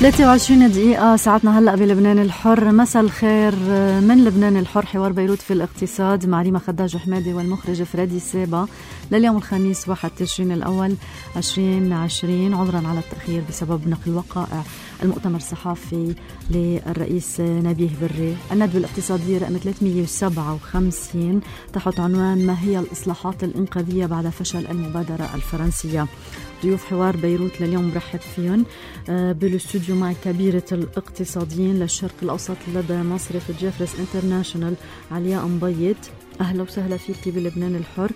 23 دقيقة ساعتنا هلأ بلبنان الحر. مساء الخير من لبنان الحر، حوار بيروت في الاقتصاد مع ريما خداج وحمادي والمخرج فريدي سابا لليوم الخميس 1 تشرين الأول 2020. عذرا على التأخير بسبب نقل وقائع المؤتمر الصحفي للرئيس نبيه بري. الندوة الاقتصادية رقم 357 تحت عنوان ما هي الإصلاحات الإنقاذية بعد فشل المبادرة الفرنسية. ضيوف حوار بيروت لليوم برحب فيهم بالاستوديو مع كبيرة الاقتصاديين للشرق الأوسط لدى مصرف جيفرس انترناشونال علياء مبيض. أهلا وسهلا فيك بلبنان الحر.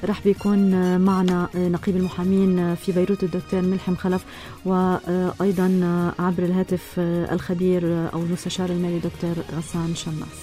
رح بيكون معنا نقيب المحامين في بيروت الدكتور ملحم خلف، وأيضا عبر الهاتف الخبير أو المستشار المالي دكتور غسان شماس.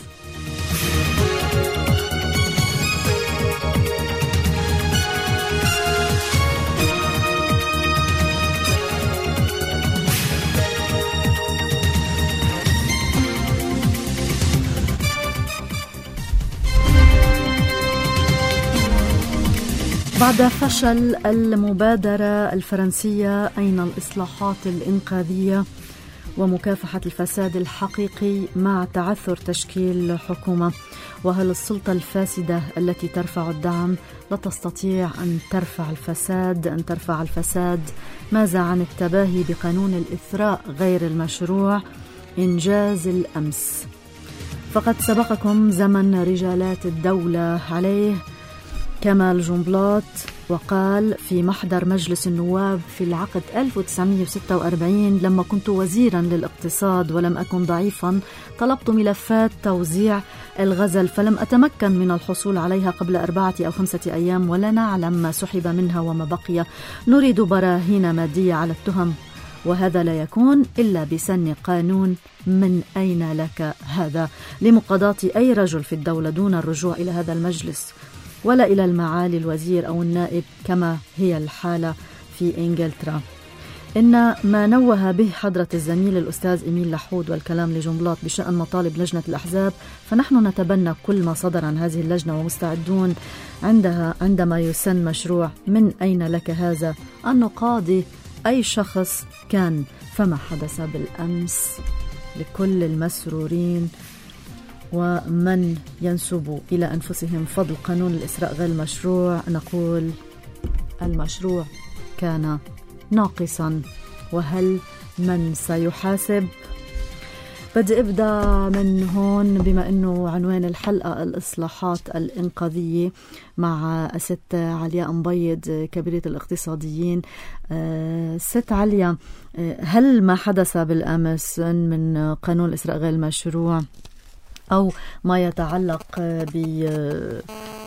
بعد فشل المبادرة الفرنسية، أين الإصلاحات الإنقاذية ومكافحة الفساد الحقيقي مع تعثر تشكيل حكومة؟ وهل السلطة الفاسدة التي ترفع الدعم لا تستطيع أن ترفع الفساد؟ ماذا عن التباهي بقانون الإثراء غير المشروع إنجاز الأمس؟ فقد سبقكم زمن رجالات الدولة عليه كمال جنبلاط، وقال في محضر مجلس النواب في العقد 1946: لما كنت وزيرا للاقتصاد ولم أكن ضعيفا طلبت ملفات توزيع الغزل فلم أتمكن من الحصول عليها قبل 4 أو 5 أيام، ولا نعلم ما سحب منها وما بقي. نريد براهين مادية على التهم، وهذا لا يكون إلا بسن قانون. من أين لك هذا لمقاضاة أي رجل في الدولة دون الرجوع إلى هذا المجلس ولا إلى المعالي الوزير أو النائب كما هي الحالة في إنجلترا؟ إن ما نوه به حضرة الزميل الأستاذ إميل لحود والكلام لجنبلاط بشأن مطالب لجنة الأحزاب، فنحن نتبنى كل ما صدر عن هذه اللجنة ومستعدون عندما يسن مشروع من أين لك هذا أن نقاضي أي شخص كان. فما حدث بالأمس لكل المسرورين ومن ينسب إلى أنفسهم فضل قانون الإسراء غير المشروع نقول المشروع كان ناقصا، وهل من سيحاسب؟ بدي أبدأ من هون بما أنه عنوان الحلقة الإصلاحات الإنقاذية مع ست علياء مبيض كبيرة الاقتصاديين. ست عليا، هل ما حدث بالأمس من قانون الإسراء غير المشروع أو ما يتعلق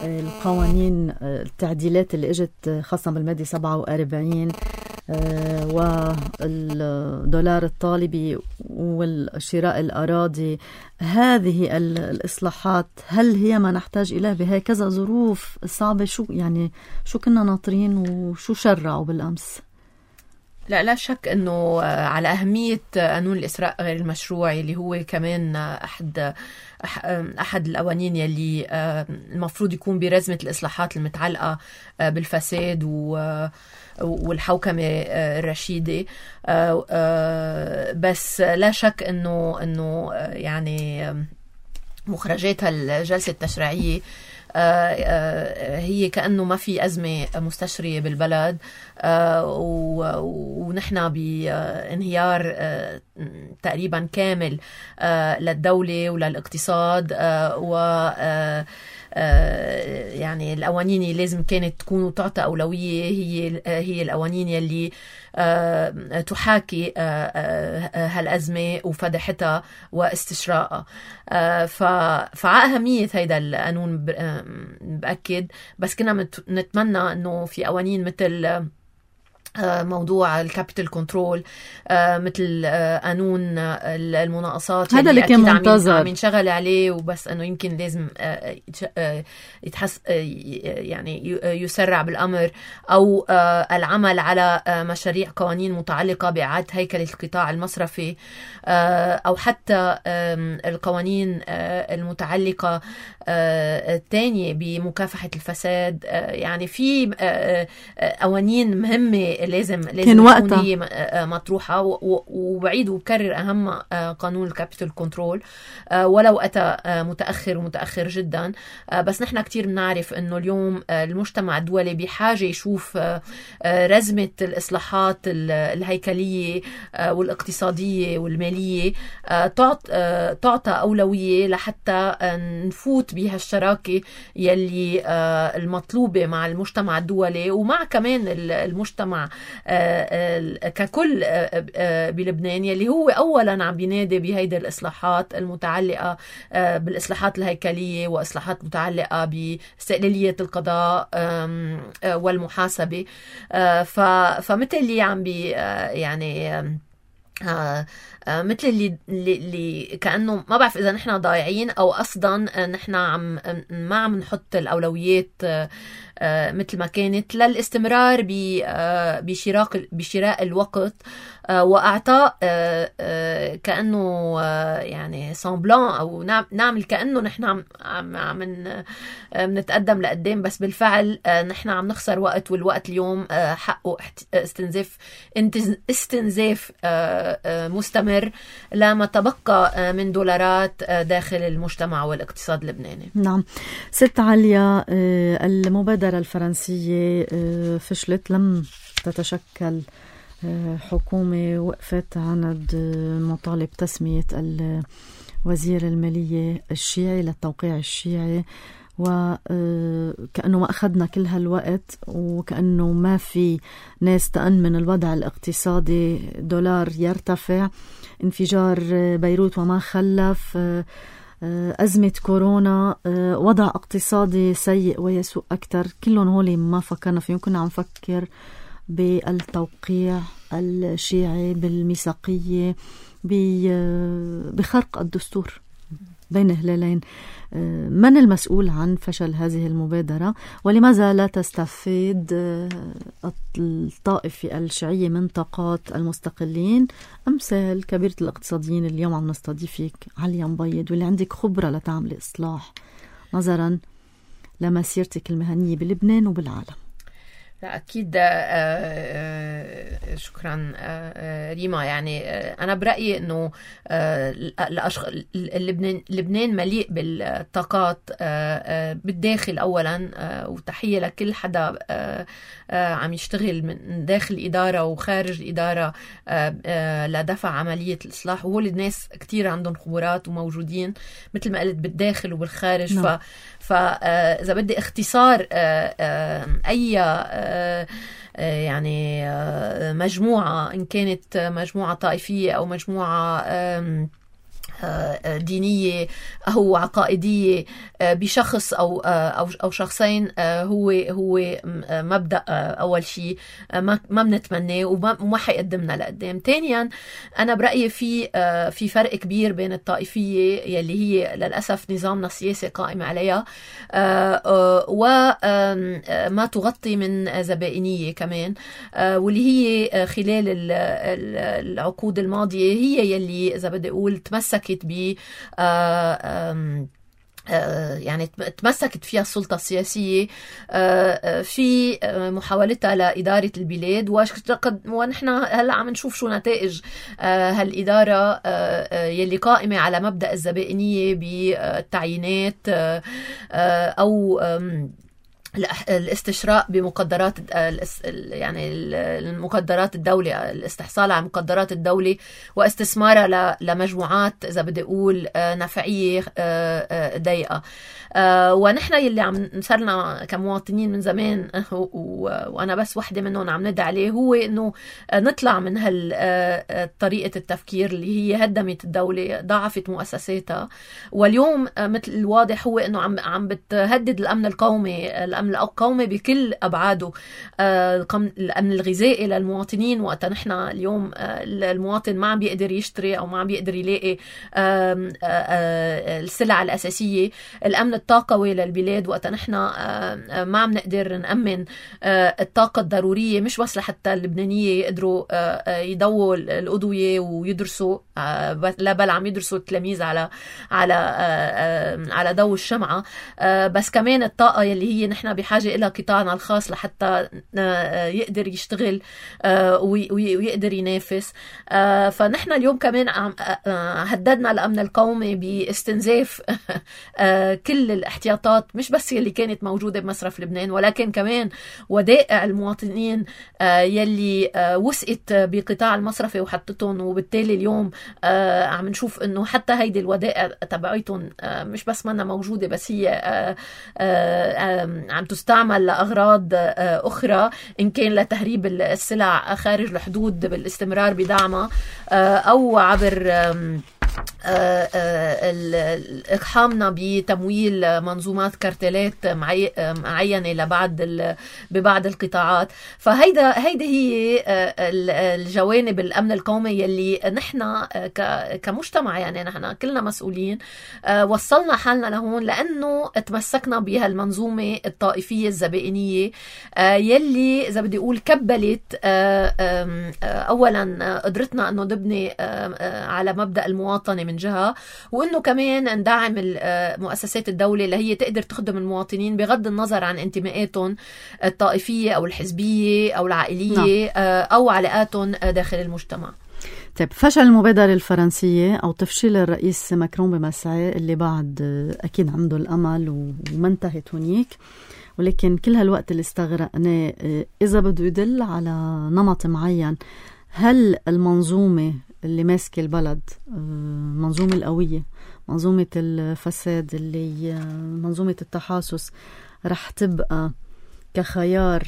بالقوانين التعديلات اللي اجت خاصة بالمادة 47 والدولار الطالبي والشراء والأراضي، هذه الإصلاحات هل هي ما نحتاج إليه بهكذا ظروف صعبة؟ شو كنا ناطرين وشو شرعوا بالأمس؟ لا شك أنه على أهمية قانون الإسراء غير المشروع اللي هو كمان أحد القوانين يلي المفروض يكون برزمة الإصلاحات المتعلقة بالفساد والحوكمة الرشيدة. بس لا شك أنه يعني مخرجات الجلسة التشريعية هي كأنه ما في أزمة مستشرية بالبلد، ونحن بانهيار تقريبا كامل للدولة وللاقتصاد، و يعني القوانين اللي لازم كانت تكون وتعطى أولوية هي القوانين يلي تحاكي هالأزمة وفدحتها واستشراءها. فعلى أهمية هيدا القانون بأكد، بس كنا نتمنى أنه في قوانين مثل موضوع الكابيتال كنترول، مثل قانون المناقصات هذا اللي كان منتظر عم ينشغل عليه، وبس انه يمكن لازم يتحس يعني يسرع بالامر، او العمل على مشاريع قوانين متعلقه باعاده هيكله القطاع المصرفي، او حتى القوانين المتعلقه الثانيه بمكافحه الفساد. يعني في قوانين مهمه لازم تكون هي مطروحة. وبعيد وبكرر أهم قانون الكابيتال كنترول ولو أتى متأخر جدا. بس نحن كتير بنعرف أنه اليوم المجتمع الدولي بحاجة يشوف رزمة الإصلاحات الهيكلية والاقتصادية والمالية تعطى أولوية لحتى نفوت بها الشراكة يلي المطلوبة مع المجتمع الدولي ومع كمان المجتمع ككل بلبنان، يلي هو أولا عم بينادي بهيدا الإصلاحات المتعلقة بالإصلاحات الهيكلية وإصلاحات متعلقة باستقلالية القضاء والمحاسبة. فمثل اللي عم يعني مثل اللي كأنه ما بعرف إذا نحن ضايعين أو أصلا نحن ما عم نحط الأولويات مثل ما كانت للاستمرار بشراء الوقت وأعطاء كأنه يعني سامبلان أو نعمل كأنه نحن عم نتقدم لقدام، بس بالفعل نحن عم نخسر وقت، والوقت اليوم حقه استنزاف مستمر لما تبقى من دولارات داخل المجتمع والاقتصاد اللبناني. نعم ست عليا، المبادرة الفرنسية فشلت، لم تتشكل حكومة، وقفت عند مطالب تسمية الوزير المالية الشيعي للتوقيع الشيعي، وكأنه ما أخذنا كل هالوقت وكأنه ما في ناس تأمن الوضع الاقتصادي، دولار يرتفع، انفجار بيروت وما خلف، أزمة كورونا، وضع اقتصادي سيء ويسوء أكتر. كلهم هولي ما فكرنا فيهم. كنا عم نفكر بالتوقيع الشيعي، بالميثاقية، بخرق الدستور بين هلالين. من المسؤول عن فشل هذه المبادرة، ولماذا لا تستفيد الطائفة الشيعية من طاقات المستقلين أمثال كبيرة الاقتصاديين اللي اليوم عم نستضيفك عليا مبيض، واللي عندك خبرة لتعمل إصلاح نظرا لمسيرتك المهنية بلبنان وبالعالم؟ لا أكيد. شكرا ريما. يعني أنا برأيي أنه لبنان مليء بالطاقات بالداخل أولا، وتحية لكل حدا عم يشتغل من داخل الإدارة وخارج الإدارة لدفع عملية الإصلاح، وهول الناس كتير عندهم خبرات وموجودين مثل ما قلت بالداخل وبالخارج. فإذا بدي اختصار أي يعني مجموعة، إن كانت مجموعة طائفية أو مجموعة دينية أو عقائدية بشخص أو شخصين، هو مبدأ أول شيء ما بنتمناه وما حيقدمنا لقدام. ثانيا أنا برأيي في فرق كبير بين الطائفية يلي هي للأسف نظامنا السياسي قائم عليها وما تغطي من زبائنية كمان، واللي هي خلال العقود الماضية هي يلي إذا بدي أقول تمسكت يعني تمسكت فيها السلطة السياسية في محاولتها لإدارة البلاد، ونحن هلأ عم نشوف شو نتائج هالإدارة يلي قائمة على مبدأ الزبائنية بالتعيينات أو الاستشراء بمقدرات يعني المقدرات الدولة، الاستحصال على مقدرات الدولة واستثمارها لمجموعات إذا بدي أقول نفعية ضيقة. ونحن يلي عم نصرنا كمواطنين من زمان وأنا بس وحدة منهم عم ندعي عليه، هو إنه نطلع من طريقة التفكير اللي هي هدمت الدولة، ضعفت مؤسساتها، واليوم مثل الواضح هو إنه عم بتهدد الأمن القومي، الأمن القومي بكل أبعاده، الأمن الغذائي للمواطنين. وقتا نحن اليوم المواطن ما عم بيقدر يشتري أو ما عم بيقدر يلاقي السلع الأساسية، الأمن الطاقوي للبلاد وقتا نحن ما عم نقدر نأمن الطاقة الضرورية، مش بس لحتى اللبنانية يقدروا يضووا الأضوية ويدرسوا، لا بل عم يدرسوا التلاميذ على ضوء الشمعة، بس كمان الطاقة يلي هي نحن نحن بحاجة إلى قطاعنا الخاص لحتى يقدر يشتغل ويقدر ينافس. فنحن اليوم كمان هددنا الأمن القومي باستنزاف كل الاحتياطات، مش بس اللي كانت موجودة بمصرف لبنان، ولكن كمان ودائع المواطنين يلي وثقت بقطاع المصرفي وحطتهم. وبالتالي اليوم عم نشوف انه حتى هيدي الودائع تبعيتهم مش بس منا موجودة، بس هي عم تستعمل لأغراض أخرى، إن كان لتهريب السلع خارج الحدود بالاستمرار بدعمها، أو عبر إقحامنا بتمويل منظومات كارتلات معينة ببعض القطاعات. فهيدا هي الجوانب الأمن القومي يلي نحن كمجتمع، يعني نحن كلنا مسؤولين، وصلنا حالنا لهون لأنه تمسكنا بها المنظومة الطائفية الزبائنية يلي إذا بدي أقول كبلت أولا قدرتنا أنه نبني على مبدأ المواطنة من جهة، وإنه كمان ندعم مؤسسات الدولة اللي هي تقدر تخدم المواطنين بغض النظر عن انتماءاتهم الطائفية أو الحزبية أو العائلية أو علاقاتهم داخل المجتمع. طيب، فشل المبادرة الفرنسية أو تفشيل الرئيس ماكرون بمسعى اللي بعد أكيد عنده الأمل وما انتهت هنيك، ولكن كل هالوقت اللي استغرقناه إذا بده يدل على نمط معين، هل المنظومة اللي ماسكة البلد، منظومة القوية، منظومة الفساد، اللي منظومة التحاسس، رح تبقى كخيار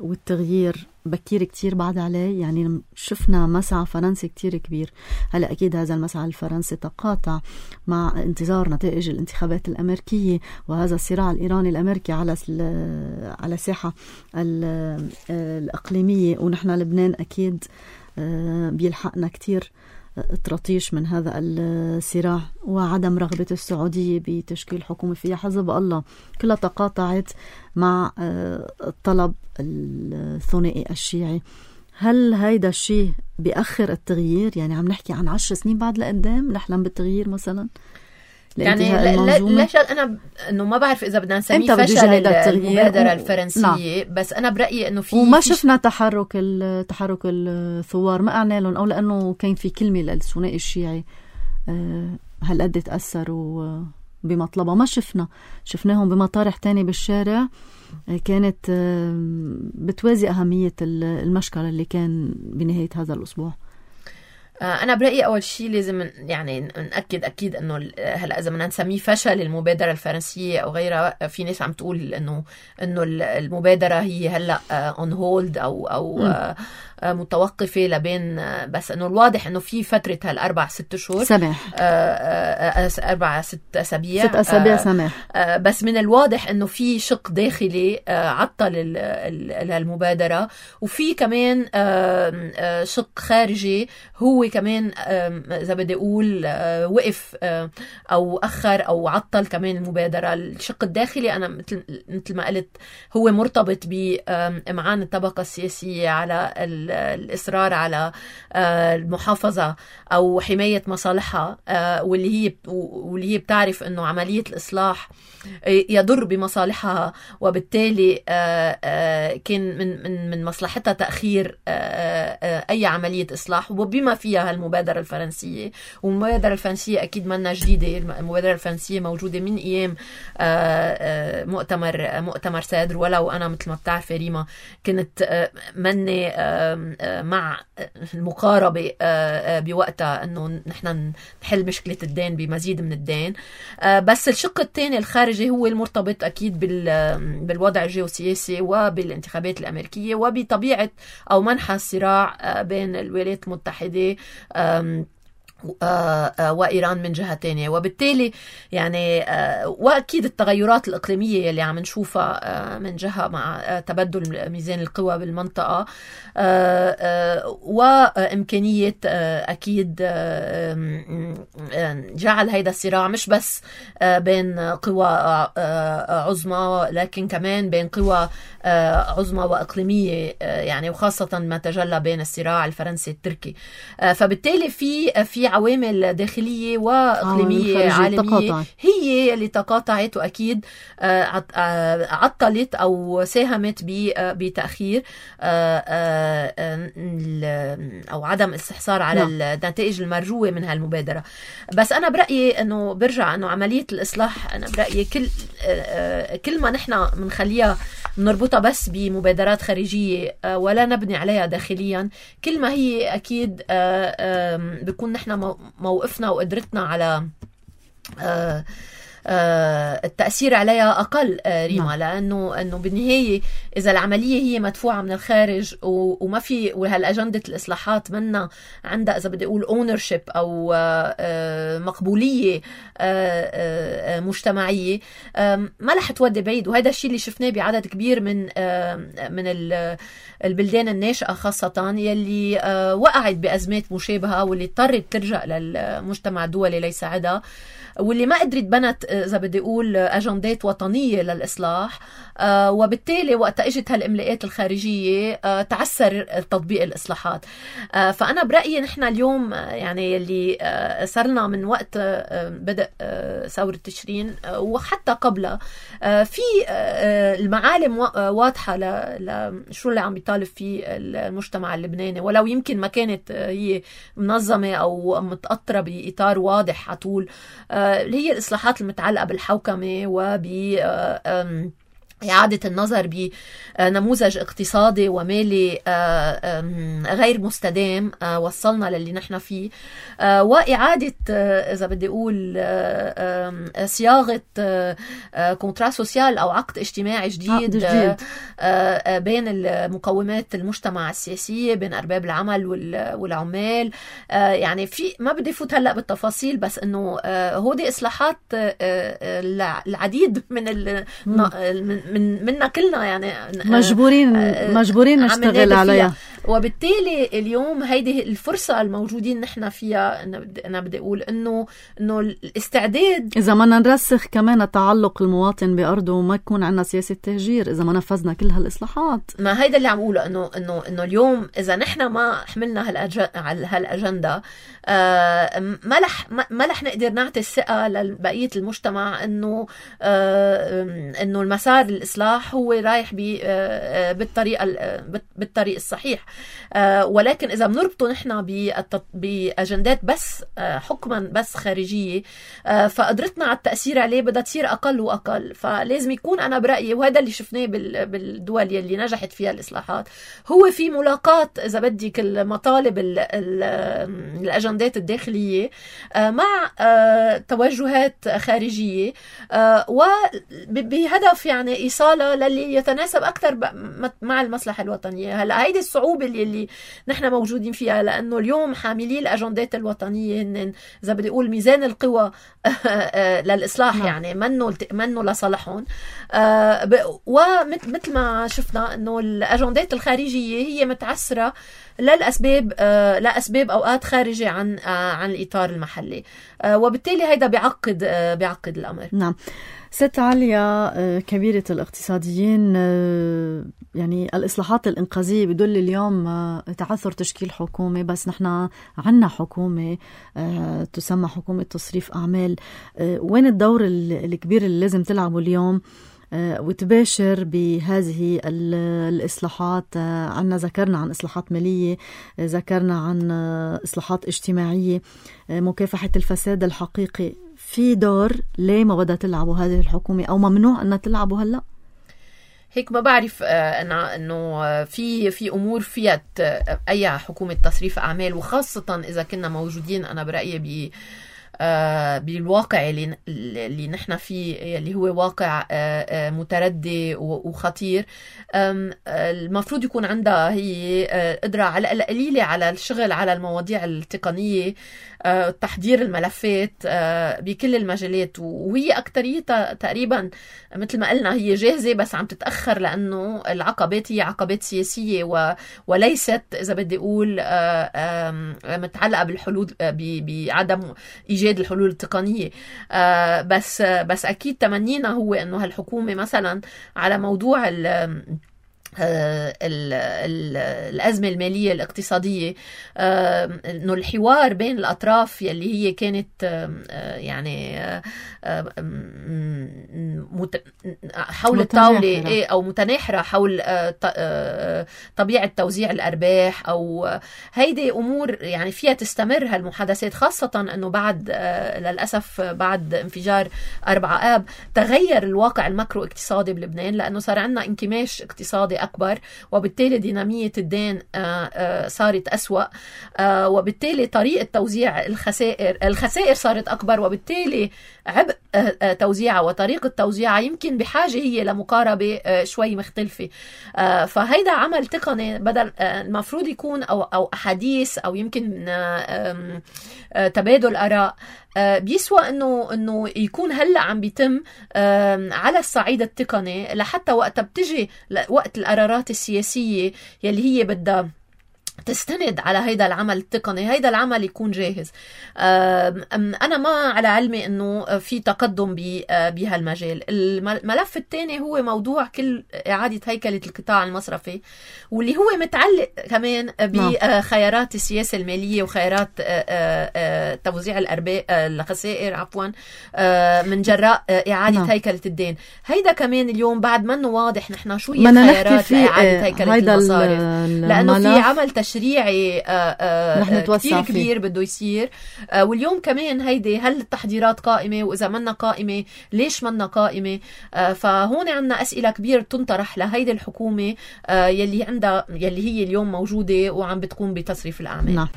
والتغيير بكير كتير بعد عليه؟ يعني شفنا مسعى فرنسي كتير كبير. هلأ أكيد هذا المسعى الفرنسي تقاطع مع انتظار نتائج الانتخابات الأمريكية، وهذا الصراع الإيراني الأمريكي على الساحة الإقليمية، ونحن لبنان أكيد بيلحقنا كتير ترطيش من هذا الصراع، وعدم رغبة السعودية بتشكيل حكومة فيها حزب الله، كلها تقاطعت مع الطلب الثنائي الشيعي. هل هيدا الشيء بيأخر التغيير؟ يعني عم نحكي عن 10 سنين بعد لقدام نحلم بالتغيير مثلا؟ يعني لا أنا إنه ما بعرف إذا بدنا نسميه فشل المبادرة الفرنسية، بس أنا برأيي إنه وما شفنا تحرك الثوار، ما أعنى لهم، أو لأنه كان في كلمة للثنائي الشيعي هل قد تأثروا بمطلبها؟ ما شفناهم بمطارح تاني بالشارع كانت بتوازي أهمية المشكلة اللي كان بنهاية هذا الأسبوع. أنا برأيي أول شيء لازم يعني نأكد أكيد إنه هلا إذا بدنا نسميه فشل المبادرة الفرنسية أو غيرها، في ناس عم تقول إنه المبادرة هي هلا on hold أو متوقفة لبين، بس إنه الواضح إنه في فترة هال4-6 شهور سماح، 4-6 أسابيع 6 أسابيع سماح، بس من الواضح إنه في شق داخلي عطل المبادرة، وفي كمان شق خارجي هو كمان إذا بدي أقول وقف أو أخر أو عطل كمان المبادرة. الشق الداخلي أنا مثل ما قلت هو مرتبط بإمعان الطبقة السياسية على الإصرار على المحافظة أو حماية مصالحها، واللي هي بتعرف أنه عملية الإصلاح يضر بمصالحها، وبالتالي كان من مصلحتها تأخير أي عملية إصلاح، وبما فيها المبادرة الفرنسية. والمبادرة الفرنسية أكيد منا جديدة، المبادرة الفرنسية موجودة من أيام مؤتمر سادر، ولو أنا مثل ما بتعرف ريما كنت مني مع المقاربة بوقتها أنه نحن نحل مشكلة الدين بمزيد من الدين. بس الشق الثاني الخارجي هو المرتبط أكيد بالوضع الجيوسياسي وبالانتخابات الأمريكية وبطبيعة أو منحى الصراع بين الولايات المتحدة وإيران من جهة تانية. وبالتالي يعني وأكيد التغيرات الإقليمية اللي عم نشوفها من جهة مع تبدل ميزان القوى بالمنطقة، وإمكانية أكيد جعل هيدا الصراع مش بس بين قوى عظمى، لكن كمان بين قوى عظمى وإقليمية، يعني وخاصة ما تجلى بين الصراع الفرنسي التركي. فبالتالي في عوامل داخلية وإقليمية عالمية هي اللي تقاطعت، وأكيد عطلت أو ساهمت بتأخير أو عدم استحصار على النتائج المرجوة من هالمبادرة. بس أنا برأيي أنه برجع أنه عملية الإصلاح، أنا برأيي كل ما نحن منخليها نربطها بس بمبادرات خارجية ولا نبني عليها داخليا، كل ما هي أكيد بيكون نحن موقفنا وقدرتنا على التأثير عليها أقل ريما. لأنه بالنهاية إذا العملية هي مدفوعة من الخارج وما في وهالأجندة الإصلاحات منا عندها إذا بدي أقول ownership أو مقبولية مجتمعية، ما رح تودي بعيد. وهذا الشيء اللي شفناه بعدد كبير من البلدان الناشئة خاصة يلي وقعت بأزمات مشابهة، واللي اضطرت ترجع للمجتمع الدولي ليساعدها، واللي ما قدرت بنت إذا بدي أقول أجندات وطنية للإصلاح. وبالتالي وقت اجت هالإملاءات الخارجية تعسر تطبيق الإصلاحات. فأنا برأيي نحن اليوم يعني اللي صرنا من وقت بدأ ثورة تشرين وحتى قبلها في المعالم واضحة لشو اللي عم بيطالب فيه المجتمع اللبناني، ولو يمكن ما كانت هي منظمة أو متأطرة بإطار واضح على طول، اللي هي الإصلاحات المتعلقة بالحوكمة وب إعادة النظر بنموذج اقتصادي ومالي غير مستدام وصلنا للي نحن فيه، وإعادة إذا بدي أقول صياغة كونترا سوسيال أو عقد اجتماعي جديد بين المقومات المجتمع السياسية، بين أرباب العمل والعمال. يعني في ما بدي فوت هلأ بالتفاصيل، بس إنه هودي إصلاحات العديد منا كلنا يعني مجبورين نشتغل عليها. وبالتالي اليوم هيدي الفرصة الموجودين نحن فيها. أنا بدي أقول إنه الاستعداد، إذا ما نرسخ كمان تعلق المواطن بأرضه وما يكون عندنا سياسة تهجير، إذا ما نفذنا كل هالإصلاحات، ما هيدا اللي عم أقوله إنه اليوم إذا نحن ما حملنا هالأجندة ما رح نقدر نعطي الثقة لبقية المجتمع إنه المسار الإصلاح هو رايح بالطريق الصحيح. ولكن إذا بنربطه نحن بأجندات بس حكما بس خارجية، فقدرتنا على التأثير عليه بدها تصير أقل وأقل. فلازم يكون أنا برأيي، وهذا اللي شفناه بالدول اللي نجحت فيها الإصلاحات، هو في ملاقاة إذا بدك المطالب الأجندات الداخلية مع توجهات خارجية، وبهدف يعني إيصالها للي يتناسب أكثر مع المصلحة الوطنية. هلا هيدي الصعوبة اللي نحن موجودين فيها، لأنه اليوم حاملي الأجندات الوطنية هن إذا بدي أقول ميزان القوى للإصلاح، يعني منه لصالحهم. ومثل ما شفنا إنه الأجندات الخارجية هي متعسرة لأسباب أوقات خارجة عن الإطار المحلي، وبالتالي هيدا بيعقد الأمر. نعم. ست عليا كبيرة الاقتصاديين، يعني الإصلاحات الإنقاذية بدل اليوم تعثر تشكيل حكومة، بس نحن عنا حكومة تسمى حكومة تصريف أعمال. وين الدور الكبير اللي لازم تلعبه اليوم وتباشر بهذه الإصلاحات؟ عنا ذكرنا عن إصلاحات مالية، ذكرنا عن إصلاحات اجتماعية، مكافحة الفساد الحقيقي. في دور ليه ما بدها تلعبوا هذه الحكومة أو ممنوع أنها تلعبوا هلأ؟ هيك ما بعرف أنا إنه في أمور فيها أي حكومة تصريف أعمال، وخاصة إذا كنا موجودين أنا برأيي بالواقع اللي نحن فيه، اللي هو واقع متردي وخطير. المفروض يكون عندها هي قدرة على القليلة على الشغل على المواضيع التقنية، تحضير الملفات بكل المجالات، وهي أكتريتها تقريبا مثل ما قلنا هي جاهزة، بس عم تتأخر لأنه العقبات هي عقبات سياسية وليست إذا بدي أقول متعلقة بالحلول بعدم إيجاد الحلول التقنية. بس أكيد تمنينا هو أنه هالحكومة مثلا على موضوع الأزمة المالية الاقتصادية، إنه الحوار بين الأطراف يلي هي كانت يعني حول الطاولة أو متناحرة حول طبيعة توزيع الأرباح، أو هيدي أمور يعني فيها تستمر هالمحادثات، خاصة أنه بعد للأسف بعد انفجار 4 آب تغير الواقع الماكرو اقتصادي بلبنان، لأنه صار عندنا انكماش اقتصادي أكبر، وبالتالي دينامية الدين صارت أسوأ، وبالتالي طريقة توزيع الخسائر صارت أكبر، وبالتالي عبء توزيعها وطريقة توزيعها يمكن بحاجة هي لمقاربة شوي مختلفة. فهيدا عمل تقني بدل المفروض يكون أو أحاديث أو يمكن تبادل آراء، بيسوى انه يكون هلا عم بيتم على الصعيد التقني، لحتى وقت بتجي وقت القرارات السياسية يلي هي بدها تستند على هيدا العمل التقني، هيدا العمل يكون جاهز. أنا ما على علمي أنه في تقدم بهالمجال. الملف الثاني هو موضوع كل إعادة هيكلة القطاع المصرفي، واللي هو متعلق كمان بخيارات السياسة المالية وخيارات توزيع الخسائر عفوا من جراء إعادة هيكلة الدين. هيدا كمان اليوم بعد منه واضح نحن شو هي خيارات إعادة هيكلة المصارف، لأنه في عمل تشريعي كتير كبير بده يصير. واليوم كمان هيدي هل التحضيرات قائمة، وإذا منا قائمة ليش منا قائمة؟ فهون عنا أسئلة كبيرة تنطرح لهيدي الحكومة يلي هي اليوم موجودة وعم بتقوم بتصريف الأعمال. نعم.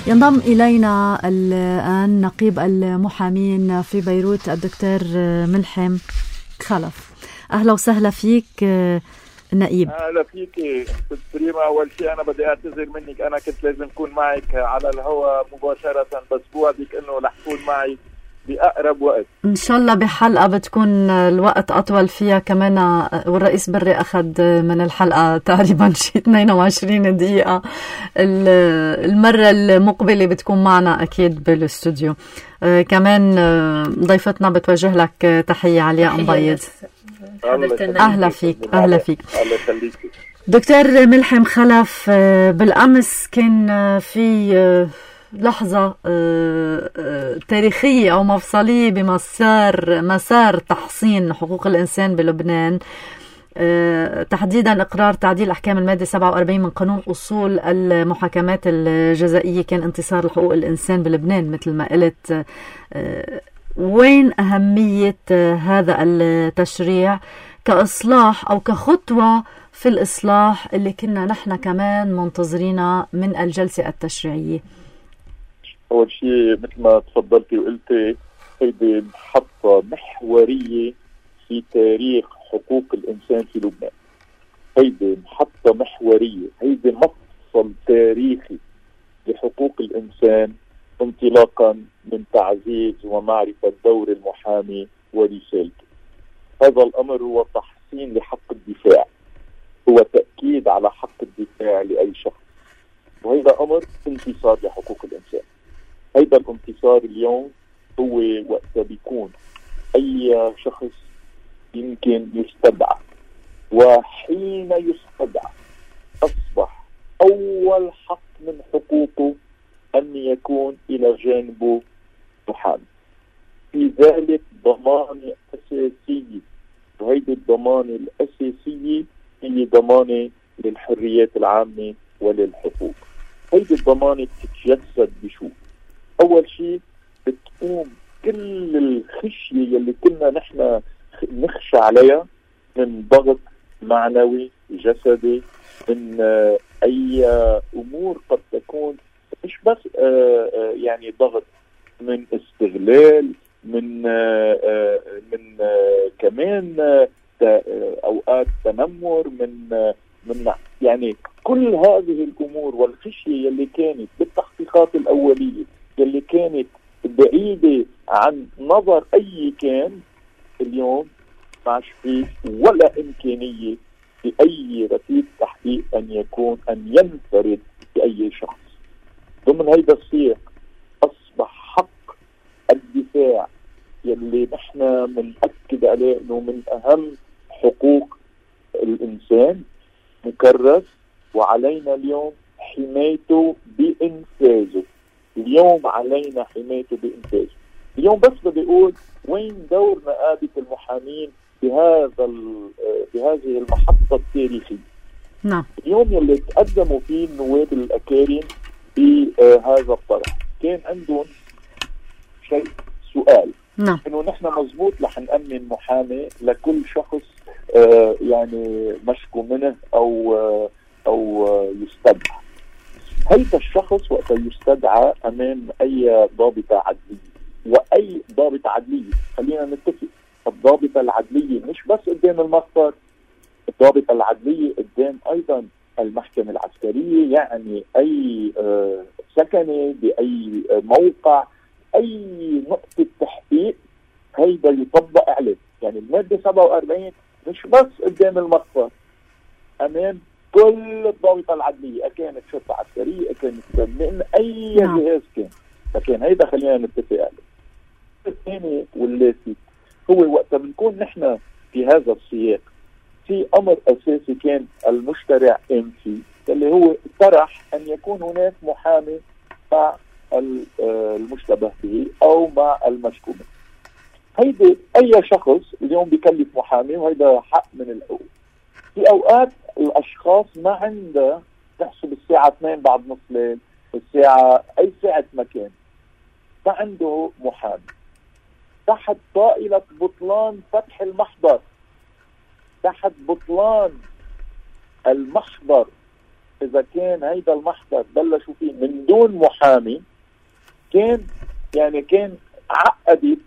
ينضم إلينا الآن نقيب المحامين في بيروت الدكتور ملحم خلف. أهلا وسهلا فيك نقيب. اهلا فيكي ست ريما. اول شيء انا بدي اعتذر منك، انا كنت لازم اكون معك على الهواء مباشره، بس بوعدك انه رح اكون معي باقرب وقت ان شاء الله. بحلقه بتكون الوقت اطول فيها كمان، والرئيس بري اخذ من الحلقه تقريبا شيء 22 دقيقه. المره المقبله بتكون معنا اكيد بالاستوديو. كمان ضيفتنا بتوجه لك تحيه علياء مبيض. أهلا فيك. أهلا فيك دكتور ملحم خلف. بالأمس كان في لحظة تاريخية أو مفصلية بمسار تحصين حقوق الإنسان بلبنان، تحديدا إقرار تعديل أحكام المادة 47 من قانون أصول المحاكمات الجزائية. كان انتصار لحقوق الإنسان بلبنان مثل ما قلت. وين أهمية هذا التشريع كإصلاح أو كخطوة في الإصلاح اللي كنا نحن كمان منتظرينها من الجلسة التشريعية؟ أول شيء مثل ما تفضلتي وقلتي، هيدي محطة محورية في تاريخ حقوق الإنسان في لبنان. هيدي محطة محورية، هيدي مفصل تاريخي لحقوق الإنسان، انطلاقا من تعزيز ومعرفة دور المحامي ورسالته. هذا الأمر هو تحسين لحق الدفاع، هو تأكيد على حق الدفاع لأي شخص، وهذا أمر انتصار لحقوق الإنسان. هذا الانتصار اليوم هو وقت بيكون أي شخص يمكن يستدعى، وحين يستدعى أصبح أول حق من حقوقه أن يكون إلى جانبه محامي. في ذلك ضمانة أساسية، وهذه الضمانة الأساسية هي ضمانة للحريات العامة وللحقوق. هذه الضمانة تتجسد بشو؟ أول شيء بتقوم كل الخشية اللي كنا نحن نخشى عليها من ضغط معنوي جسدي، من أي أمور قد تكون مش بس يعني ضغط من استغلال، من كمان أوقات تنمر، من يعني كل هذه الأمور والخشية اللي كانت بالتحقيقات الأولية اللي كانت بعيدة عن نظر أي كان، اليوم ما فيه ولا إمكانية لأي رتيب تحقيق أن ينفرد بأي شخص. ضمن هيدا السياق أصبح حق الدفاع يلي نحن بنأكد عليه أنه من أهم حقوق الإنسان مكرس وعلينا اليوم حمايته بإنفاذه. اليوم علينا حمايته بإنفاذه. اليوم بس بدي أقول وين دور نقابة المحامين بهذه المحطة التاريخية. نعم. اليوم يلي تقدموا فيه النواب الأكارم بهذا الطرح كان عندهم سؤال. نعم. إنه نحن مزبوط رح نأمن محامي لكل شخص يعني مشكو منه أو يستدعى. هيدا الشخص وقت يستدعى أمام أي ضابطة عدلية، وأي ضابطة عدلية خلينا نتفق، الضابطة العدلية مش بس قدام المخبر، الضابطة العدلية قدام أيضا المحكمة العسكرية، يعني أي سكنة بأي موقع، أي نقطة تحقيق هيدا يطبق عليه. يعني المادة 47 مش بس قدام المخبر، أمام كل الضابطة العدلية، أكانت شرطة عسكرية، أكانت من أي جهاز كان. فكان هيدا خلينا نتفق عليه. الثاني واللاسي هو وقت بنكون نحن في هذا السياق في أمر أساسي كان المشترع قام فيه، اللي هو طرح أن يكون هناك محامي مع المشتبه به أو مع المشكو منه. هيدا أي شخص اليوم بيكلف محامي، وهيدا حق من الحقوق. في أوقات الأشخاص ما عنده تحسب الساعة 2 بعد نص ليل، الساعة أي ساعة مكان، ما عنده محامي تحت طائلة بطلان فتح المحضر، تحت بطلان المحضر. إذا كان هيدا المحضر بلشوا فيه من دون محامي كان عقدت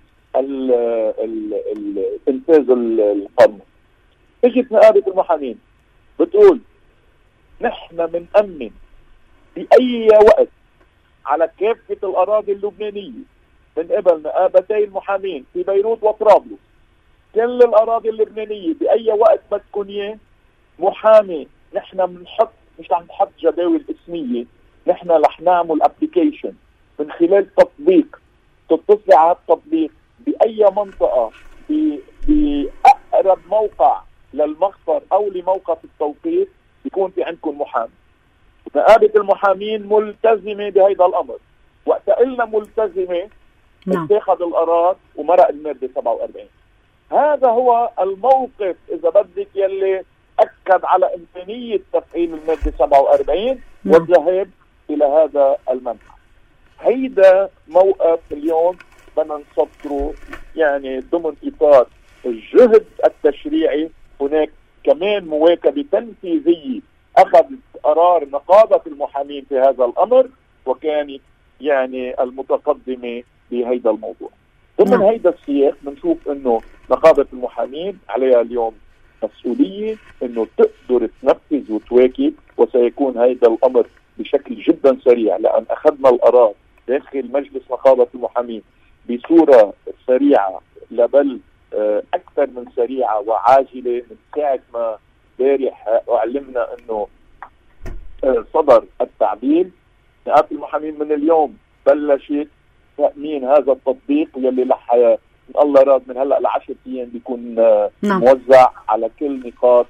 انفاذ القانون. اجت نقابة المحامين بتقول نحن بنأمن بأي وقت على كافة الأراضي اللبنانية من قبل نقابتي المحامين في بيروت وطرابلس، كل الأراضي اللبنانية بأي وقت بدكم إياه محامي. نحن بنحط، مش رح نحط جداول اسمية، نحن رح نعمل ابليكيشن من خلال تطبيق، تتصل على التطبيق بأي منطقة بأقرب موقع للمخبر أو لموقف التوقيت يكون في عندكم محامي. نقابة المحامين ملتزمة بهذا الأمر. وقت قلنا ملتزمة اتخذ القرار ومرق المادة 47. هذا هو الموقف إذا بدك يلي أكد على إمكانية تفعيل المادة 47 والذهاب إلى هذا المنحى. هيدا موقف اليوم بدنا نصدره يعني ضمن إطار الجهد التشريعي. هناك كمان مواكبة تنفيذية أخذت قرار نقابة المحامين في هذا الأمر، وكانت يعني المتقدمة بهيدا الموضوع. ضمن هيدا السياق بنشوف إنه نقابة المحامين عليها اليوم مسؤولية إنه تقدر تنفذ وتواكب، وسيكون هيدا الأمر بشكل جدا سريع، لأن أخذنا القرار داخل مجلس نقابة المحامين بصورة سريعة، بل أكثر من سريعة وعاجلة. من ساعة ما بارح أعلمنا أنه صدر التعديل، نقابة المحامين من اليوم بلشت تأمين هذا التطبيق يلي لح من الله راد من هلأ ل10 أيام بيكون موزع على كل نقاط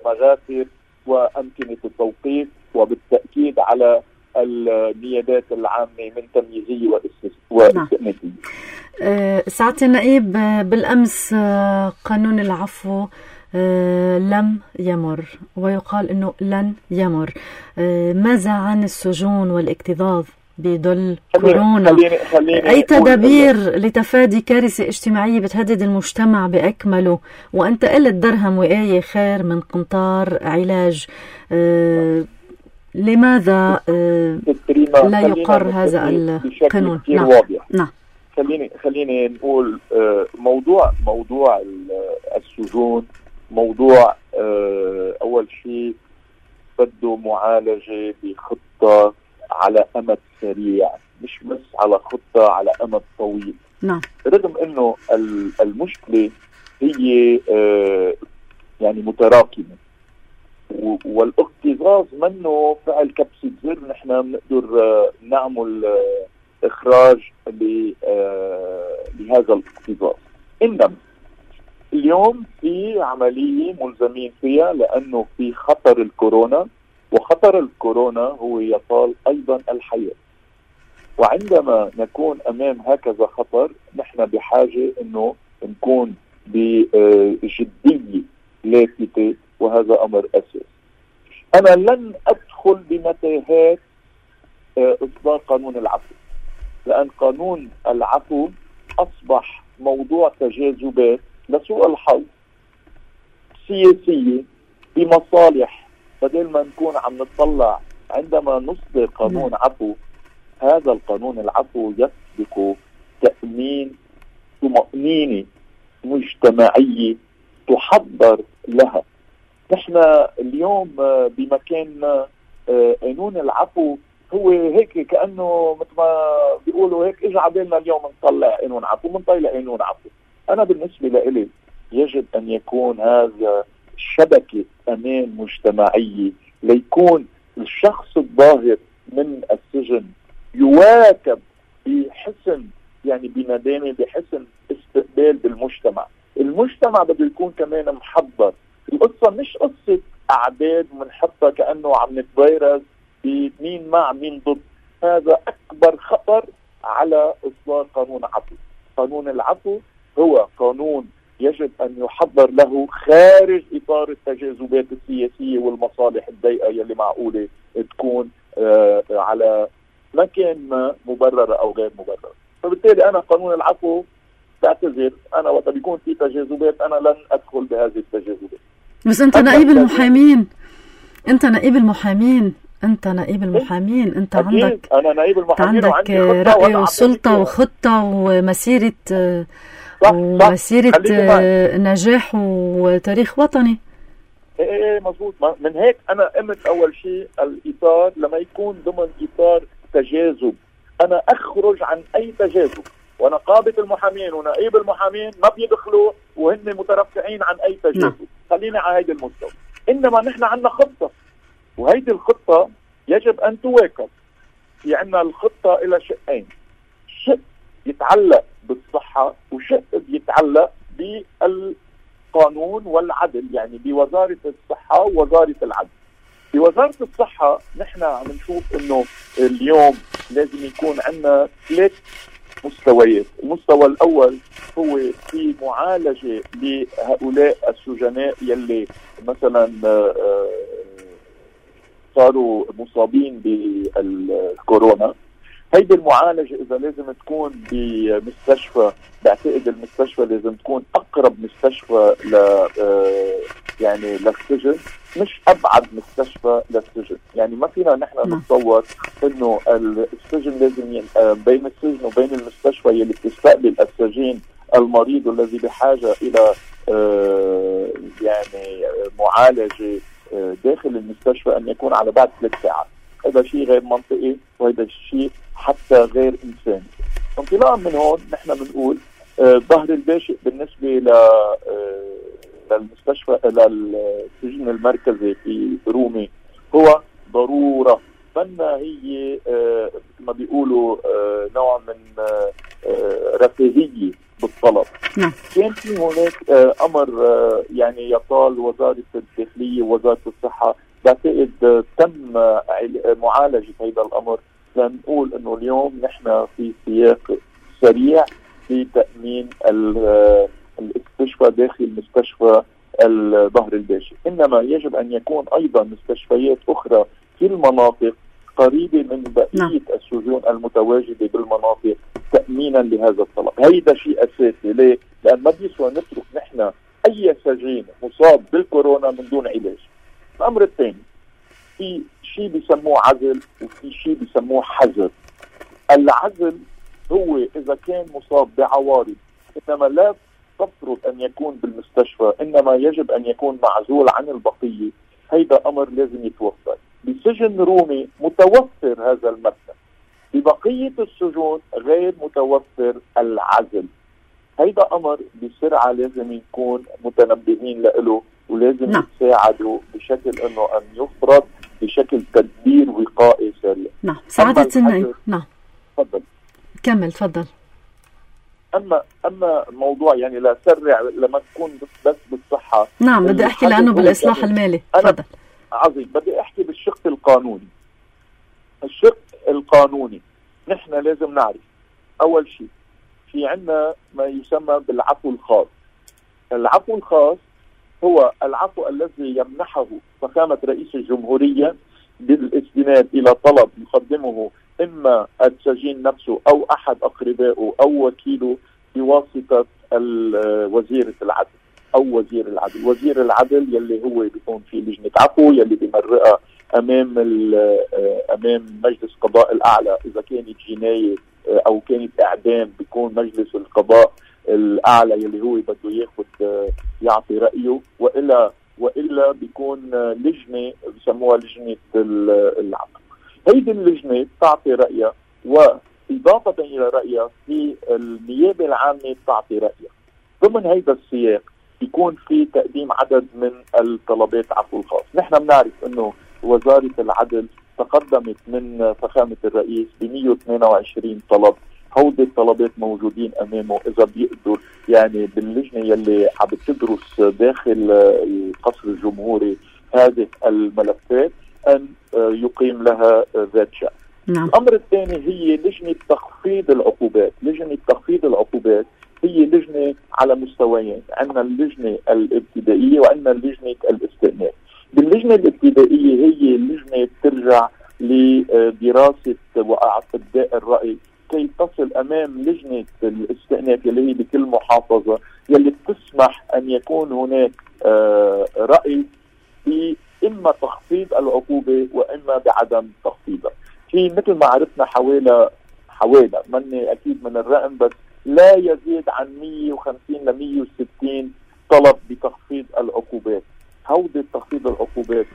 المغافر وأمكنة التوقيف، وبالتأكيد على النيابات العامة من تمييزية واستئنافية. سعادة النائب، بالأمس قانون العفو لم يمر، ويقال أنه لن يمر. ماذا عن السجون والاكتظاظ بظل كورونا؟ أي تدابير لتفادي كارثة اجتماعية بتهدد المجتمع بأكمله؟ وأنت قلت درهم وآية خير من قنطار علاج. لماذا لا يقر هذا القانون؟ نعم. خليني نقول موضوع السجون موضوع أول شيء بده معالجة بخطة على أمد سريع، مش بس على خطة على أمد طويل. نعم. رغم إنه المشكلة هي يعني متراكمة، والاكتظاظ منه فعل كبسة زر نحن بنقدر نعمل إخراج لهذا الاكتظاظ. إنما اليوم في عملية ملزمين فيها لأنه في خطر الكورونا، وخطر الكورونا هو يطال أيضا الحياة. وعندما نكون أمام هكذا خطر نحن بحاجة أنه نكون بجدية لافتة، وهذا أمر أساسي. أنا لن أدخل بمتاهات إصدار قانون العفو، لأن قانون العفو أصبح موضوع تجاذبات لسوء الحظ سياسية بمصالح. بدل ما نكون عم نطلع عندما نصدر قانون عفو، هذا القانون العفو يسبق تأمين طمأنينة مجتمعية تحضر لها. نحن اليوم بمكاننا قانون العفو هو هيك كأنه مثل ما بيقولوا هيك اجى عبالنا اليوم نطلع قانون عفو، بنطلع قانون عفو. أنا بالنسبة لإلي يجب أن يكون هذا شبكة أمان مجتمعية، ليكون الشخص الظاهر من السجن يواكب بحسن، يعني بندامة، بحسن استقبال بالمجتمع. المجتمع بده يكون كمان محضر. القصة مش قصة أعداد منحطها كأنه عم نتفيرس بمين مع مين ضد. هذا أكبر خطر على إصدار قانون عفو. قانون العفو هو قانون يجب أن يحضر له خارج إطار التجاذبات السياسية والمصالح الضيقة يلي معقولة تكون على مكان ما مبررة أو غير مبررة. فبالتالي أنا قانون العفو بعتذر، أنا وقت بيكون في تجاذبات أنا لن أدخل بهذه التجاذبات. بس أنت نائب المحامين، أنت نائب المحامين، أنت عندك، أنا نائب المحامين عندك رأي وسلطة وخطة ومسيرة نجاح وتاريخ وطني. ايه مظبوط. من هيك انا قمت اول شيء الاطار لما يكون ضمن اطار تجاذب، انا اخرج عن اي تجاذب، ونقابة المحامين ونائب المحامين ما بيدخلوا وهن مترفعين عن اي تجاذب. خلينا على هيدا المستوى. انما نحن عندنا خطة، وهيدي الخطة يجب ان تواكب. في عندنا الخطة الى شقين، شق يتعلق بالصحة وشق يتعلق بالقانون والعدل، يعني بوزارة الصحة ووزارة العدل. بوزارة الصحة نحن عم نشوف انه اليوم لازم يكون عندنا 3 مستويات. المستوى الاول هو في معالجة لهؤلاء السجناء يلي مثلا صاروا مصابين بالكورونا. هيدي المعالجة إذا لازم تكون بمستشفى، بعتقد المستشفى لازم تكون أقرب مستشفى يعني للسجن، مش أبعد مستشفى للسجن. يعني ما فينا نحن نتصور إنه السجن لازم بين السجن وبين المستشفى يلي بتستقبل السجين المريض الذي بحاجة إلى يعني معالجة داخل المستشفى أن يكون على بعد 3 ساعات. هذا شيء غير منطقي، وهذا الشيء حتى غير إنساني. انطلاقا من هون نحن بنقول ظهر الباشئ بالنسبة للمستشفى للسجن المركزي في رومي هو ضرورة، فإنها هي مثل ما بيقولوا نوع من رفاهية بالطلب. كان في هناك أمر يعني يطال وزارة الداخلية ووزارة الصحة، بعتقد تم معالجة هذا الأمر. لنقول إنه اليوم نحن في سياق سريع في تأمين الاستشفاء داخل مستشفى الظهر الباشئ. إنما يجب أن يكون أيضا مستشفيات أخرى في المناطق قريبة من بقية السجون المتواجدة بالمناطق تأمينا لهذا الطلب. هيدا شيء أساسي. ليه؟ لأن ما بيسوى نترك نحن أي سجين مصاب بالكورونا من دون علاج. الأمر الثاني، في شيء بيسموه عزل وفي شيء بيسموه حجر. العزل هو إذا كان مصاب بعوارض، إنما لا تفرض أن يكون بالمستشفى، إنما يجب أن يكون معزول عن البقية. هيدا أمر لازم يتوفر. بسجن رومي متوفر هذا المبدأ، ببقية السجون غير متوفر العزل. هيدا أمر بسرعة لازم يكون متنبهين له، ولازم يتساعدوا بشكل انه ان يفرض بشكل تدبير وقائي سريع. سعادة النائب. تفضل. كمل تفضل. اما أما موضوع يعني لا سرع لما تكون بس بالصحة. نعم بدي أحكي لأنه بالإصلاح المالي. تفضل. عظيم. بدي أحكي بالشق القانوني. الشق القانوني نحن لازم نعرف أول شيء في عنا ما يسمى بالعفو الخاص. العفو الخاص هو العفو الذي يمنحه فخامة رئيس الجمهورية بالاستناد إلى طلب يقدمه إما السجين نفسه أو أحد أقربائه أو وكيله بواسطة وزيرة العدل أو وزير العدل. وزير العدل يلي هو بيكون في لجنة عفو يلي بيمرقها أمام مجلس قضاء الأعلى. إذا كانت جناية أو كانت إعدام بيكون مجلس القضاء الأعلى يلي هو بده ياخد يعطي رأيه، وإلا بيكون لجنة بسموها لجنة العقل. هيدي اللجنة تعطي رأيها، وإضافة إلى رأيها في النيابة العامة تعطي رأيها. ضمن هيدا السياق يكون في تقديم عدد من الطلبات عفو الخاص. نحن بنعرف إنه وزارة العدل تقدمت من فخامة الرئيس ب 122 طلب. هودي الطلبات موجودين أمامه، إذا بيقدر يعني باللجنة يلي عم بتدرس داخل القصر الجمهوري هذه الملفات أن يقيم لها ذات شأن. نعم. الأمر الثاني هي لجنة تخفيض العقوبات. لجنة تخفيض العقوبات هي لجنة على مستويين، عندنا اللجنة الابتدائية وعندنا لجنة الاستئناف. باللجنة الابتدائية هي لجنة ترجع لدراسة وأعطاء الرأي كي تصل أمام لجنة الاستئناف يلي هي بكل محافظة يلي بتسمح أن يكون هناك رأي في إما تخفيض العقوبة وإما بعدم تخفيضها. في مثل ما عرفنا حوالي مني أكيد من الرقم بس لا يزيد عن 150 ل 160 طلب بتخفيض العقوبات. هودي تخفيض العقوبات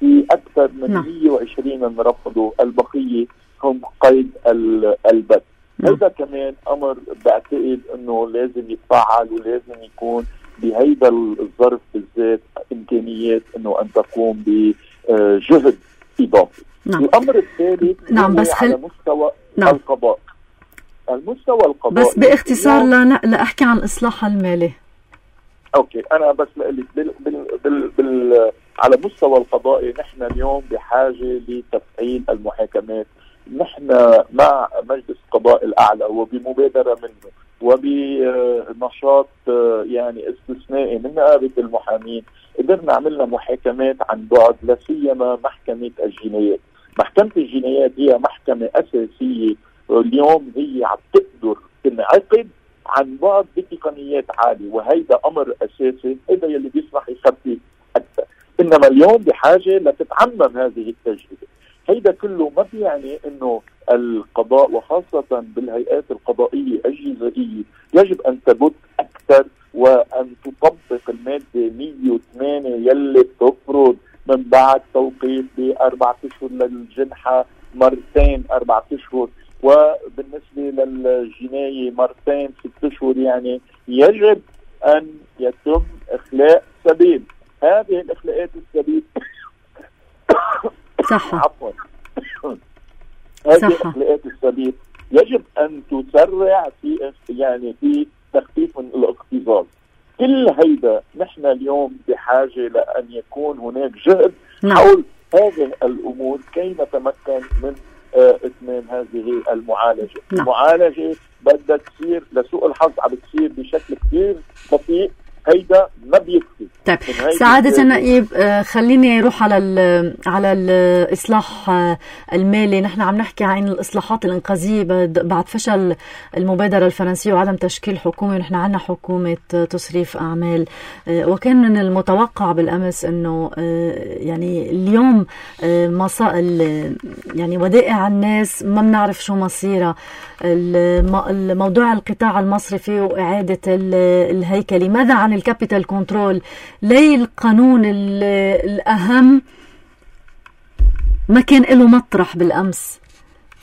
في أكثر من 120 رفضوا، البقية هم قيد البت. هذا كمان أمر بعتقد أنه لازم يتفعل ولازم يكون بهيدا الظرف بالذات إمكانيات أنه أن تقوم بجهد إضافي. الأمر الثالث بس على مستوى القضاء. المستوى القضائي بس باختصار لأحكي عن الإصلاح المالي. أوكي، أنا بس لقلت على مستوى القضائي نحن اليوم بحاجة لتفعيل المحاكمات. نحن مع مجلس القضاء الأعلى وبمبادرة منه وبنشاط يعني استثنائي من نقابة المحامين قدرنا عملنا محاكمات عن بعد، لا سيما محكمة الجنايات. محكمة الجنايات هي محكمة أساسية اليوم، هي عم تقدر تنعقد عن بعد بتقنيات عالية، وهيدا أمر أساسي، هيدا يلي بيسمح يخفف أكثر. إنما اليوم بحاجة لتتعمم هذه التجربة. هيدا كله ما بيعني إنه القضاء وخاصة بالهيئات القضائية الجزائية يجب أن تبت أكثر وأن تطبق المادة 108 يلي بتفرض من بعد توقيف ب4 أشهر للجنحة مرتين 4 أشهر، وبالنسبة للجناية مرتين 6 أشهر. يعني يجب أن يتم إخلاء سبيل. هذه الإخلاءات السبيل صح. عفوا هذه الإخلاءات السبيل يجب أن تسرع في تخفيف من الاكتظاظ. كل هيدا نحن اليوم بحاجة لأن يكون هناك جهد حول هذه الأمور كي نتمكن من إتمام هذه المعالجة. المعالجة بدها تصير، لسوء الحظ عم بتصير بشكل كثير بطيء، هيدا ما بيكفي. طيب سعادة النائب، خليني اروح على الاصلاح المالي. نحن عم نحكي عن الاصلاحات الانقاذيه بعد فشل المبادره الفرنسيه وعدم تشكيل حكومه، ونحن عندنا حكومه تصريف اعمال، وكان من المتوقع بالامس انه يعني اليوم يعني ودائع الناس ما بنعرف شو مصيرها. الموضوع القطاع المصرفي واعاده الهيكلي. ماذا عن الكابيتال كنترول؟ ليه القانون الأهم ما كان له مطرح بالأمس؟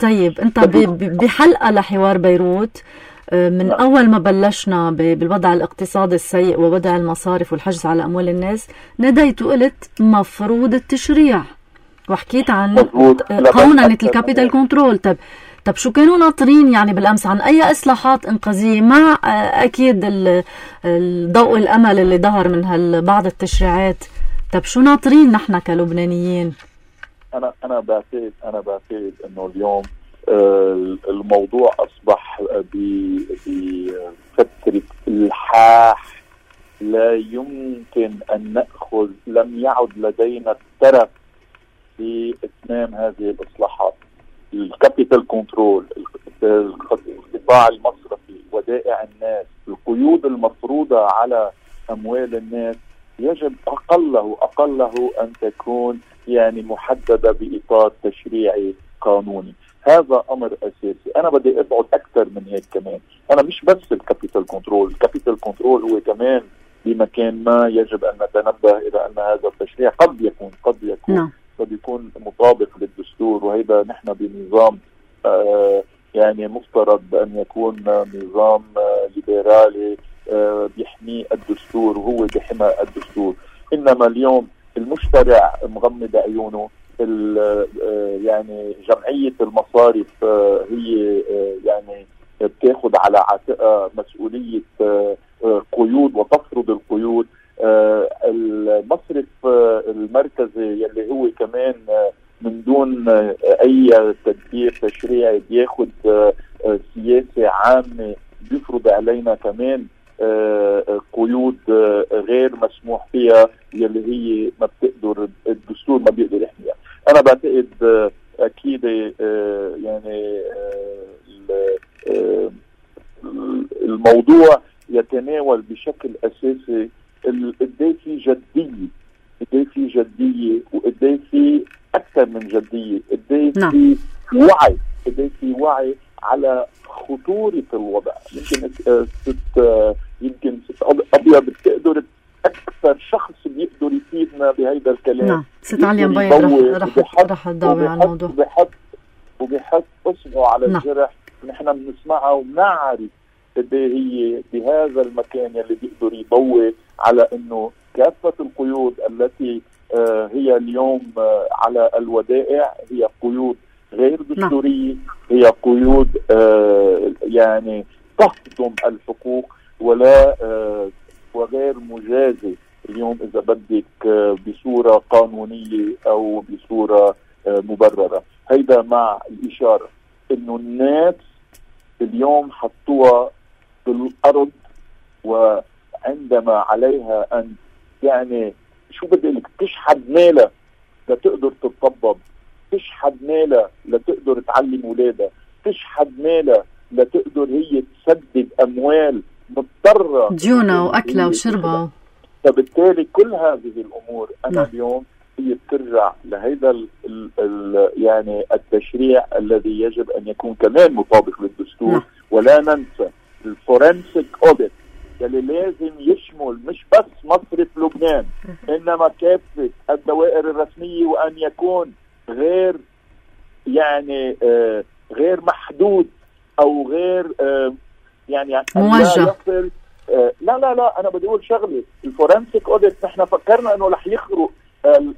طيب أنت بحلقة لحوار بيروت من أول ما بلشنا بالوضع الاقتصادي السيء ووضع المصارف والحجز على أموال الناس، نديت وقلت مفروض التشريع وحكيت عن قوننة الكابيتال كنترول. طب طب شو كانوا ناطرين يعني بالأمس عن أي إصلاحات إنقاذية مع أكيد الضوء الأمل اللي ظهر من بعض التشريعات؟ طب شو ناطرين نحن كلبنانيين؟ أنا بعتقد إنه اليوم الموضوع أصبح بفترة الحاح. لا يمكن أن نأخذ، لم يعد لدينا الترف في إتمام هذه الإصلاحات. الكابيتال كنترول، القطاع المصرفي، ودائع الناس، القيود المفروضة على أموال الناس يجب أقله أن تكون يعني محددة بإطار تشريعي قانوني. هذا أمر أساسي. أنا بدي أبعد أكثر من هيك كمان. أنا مش بس الكابيتال كنترول هو كمان بمكان ما يجب أن نتنبه إلى أن هذا التشريع قد يكون مطابق للدستور، وهذا نحن بنظام يعني مفترض أن يكون نظام ليبرالي بيحمي الدستور، وهو بحمى الدستور. إنما اليوم المشترع مغمض عيونه. يعني جمعية المصارف هي يعني بتاخذ على عاتقها مسؤولية قيود وتفرض القيود. المصرف المركزي يلي هو كمان من دون أي تدبير تشريعي بياخذ سياسة عامة بيفرض علينا كمان قيود غير مسموح فيها، يلي هي ما بتقدر الدستور ما بيقدر يحميها. أنا بعتقد أكيد يعني الموضوع يتناول بشكل أساسي قديه في جدية وقديه في أكثر من جدية، قديه في وعي على خطورة الوضع. يمكن ست أبيض بتقدر أكثر شخص بيقدر يفيدنا بهيدا الكلام. نعم، ست عليا مبيض رح تضاوي على الموضوع وبيحط اصبعه على الجرح. نحن بنسمعها وبنعرف قد هي بهذا المكان يلي بيقدر يضوي على انه كافة القيود التي هي اليوم على الودائع هي قيود غير دستورية، هي قيود يعني تهضم الحقوق ولا وغير مجازة اليوم إذا بدك بصورة قانونية أو بصورة مبررة. هيدا مع الإشارة إنه الناس اليوم حطوها بالأرض، وعندما عليها أن يعني شو بدي لك تشحد مالها لتقدر تتطبب، تشحد مالها لتقدر تعلم ولادها، تشحد مالها لتقدر هي تسدد أموال مضطرة ديونها وأكلها وشربها. فبالتالي كل هذه الأمور أنا اليوم هي بترجع لهذا يعني التشريع الذي يجب أن يكون كمان مطابق للدستور. ولا ننسى الفورنسيك أوديت اللي لازم يشمل مش بس مصرف لبنان إنما كافة الدوائر الرسمية، وأن يكون غير يعني غير محدود أو غير يعني موجه. لا أنا بدي أقول شغلة. الفورنسيك أوديت نحن فكرنا أنه رح يخرق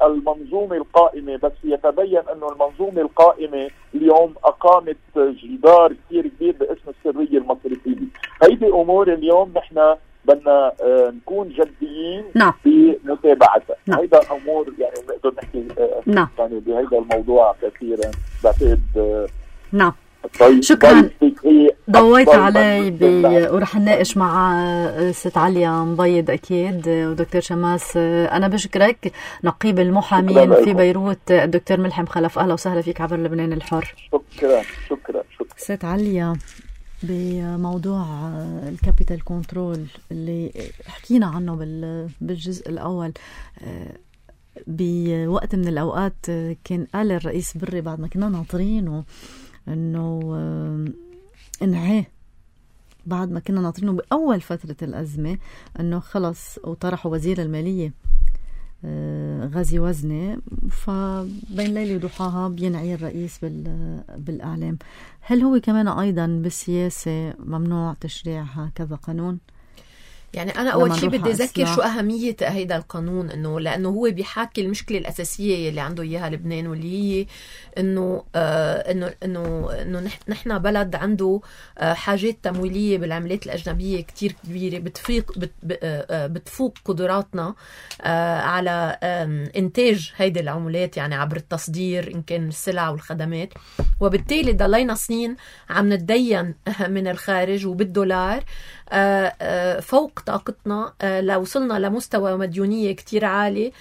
المنظومة القائمة، بس يتبين أنه المنظومة القائمة اليوم أقامت جدار كثير كبير باسم السرية المصرفية. هيدي أمور اليوم نحن بدنا نكون جديين بمتابعتها. هيدا أمور يعني نقدر نحكي يعني بهيدا الموضوع كثيرا. بعتقد شكرا ضويت علي ورح نناقش مع ست عليا مبيض أكيد ودكتور شماس. أنا بشكرك نقيب المحامين في بيروت الدكتور ملحم خلف. أهلا وسهلا فيك عبر لبنان الحر. شكرا ست عليا، بموضوع الكابيتال كنترول اللي حكينا عنه بالجزء الأول، بوقت من الأوقات كان قال الرئيس بري بعد ما كنا ناطرينه انه انعاه، بعد ما كنا ناطرينه باول فتره الازمه انه خلص، وطرحوا وزير الماليه غازي وزنه، فبين ليله وضحاها بينعي الرئيس بالاعلام. هل هو كمان ايضا بالسياسه ممنوع تشريع هكذا قانون؟ يعني أنا أول شيء بدي أذكر شو أهمية هيدا القانون، لأنه هو بيحاكي المشكلة الأساسية اللي عنده إياها لبنان، واللي هي إنه نحن بلد عنده حاجات تمويلية بالعملات الأجنبية كتير كبيرة، بتفوق قدراتنا على إنتاج هيدي العملات، يعني عبر التصدير إن كان السلع والخدمات. وبالتالي ضلينا سنين عم نتدين من الخارج وبالدولار فوق طاقتنا، لوصلنا لمستوى مديونية كتير عالي،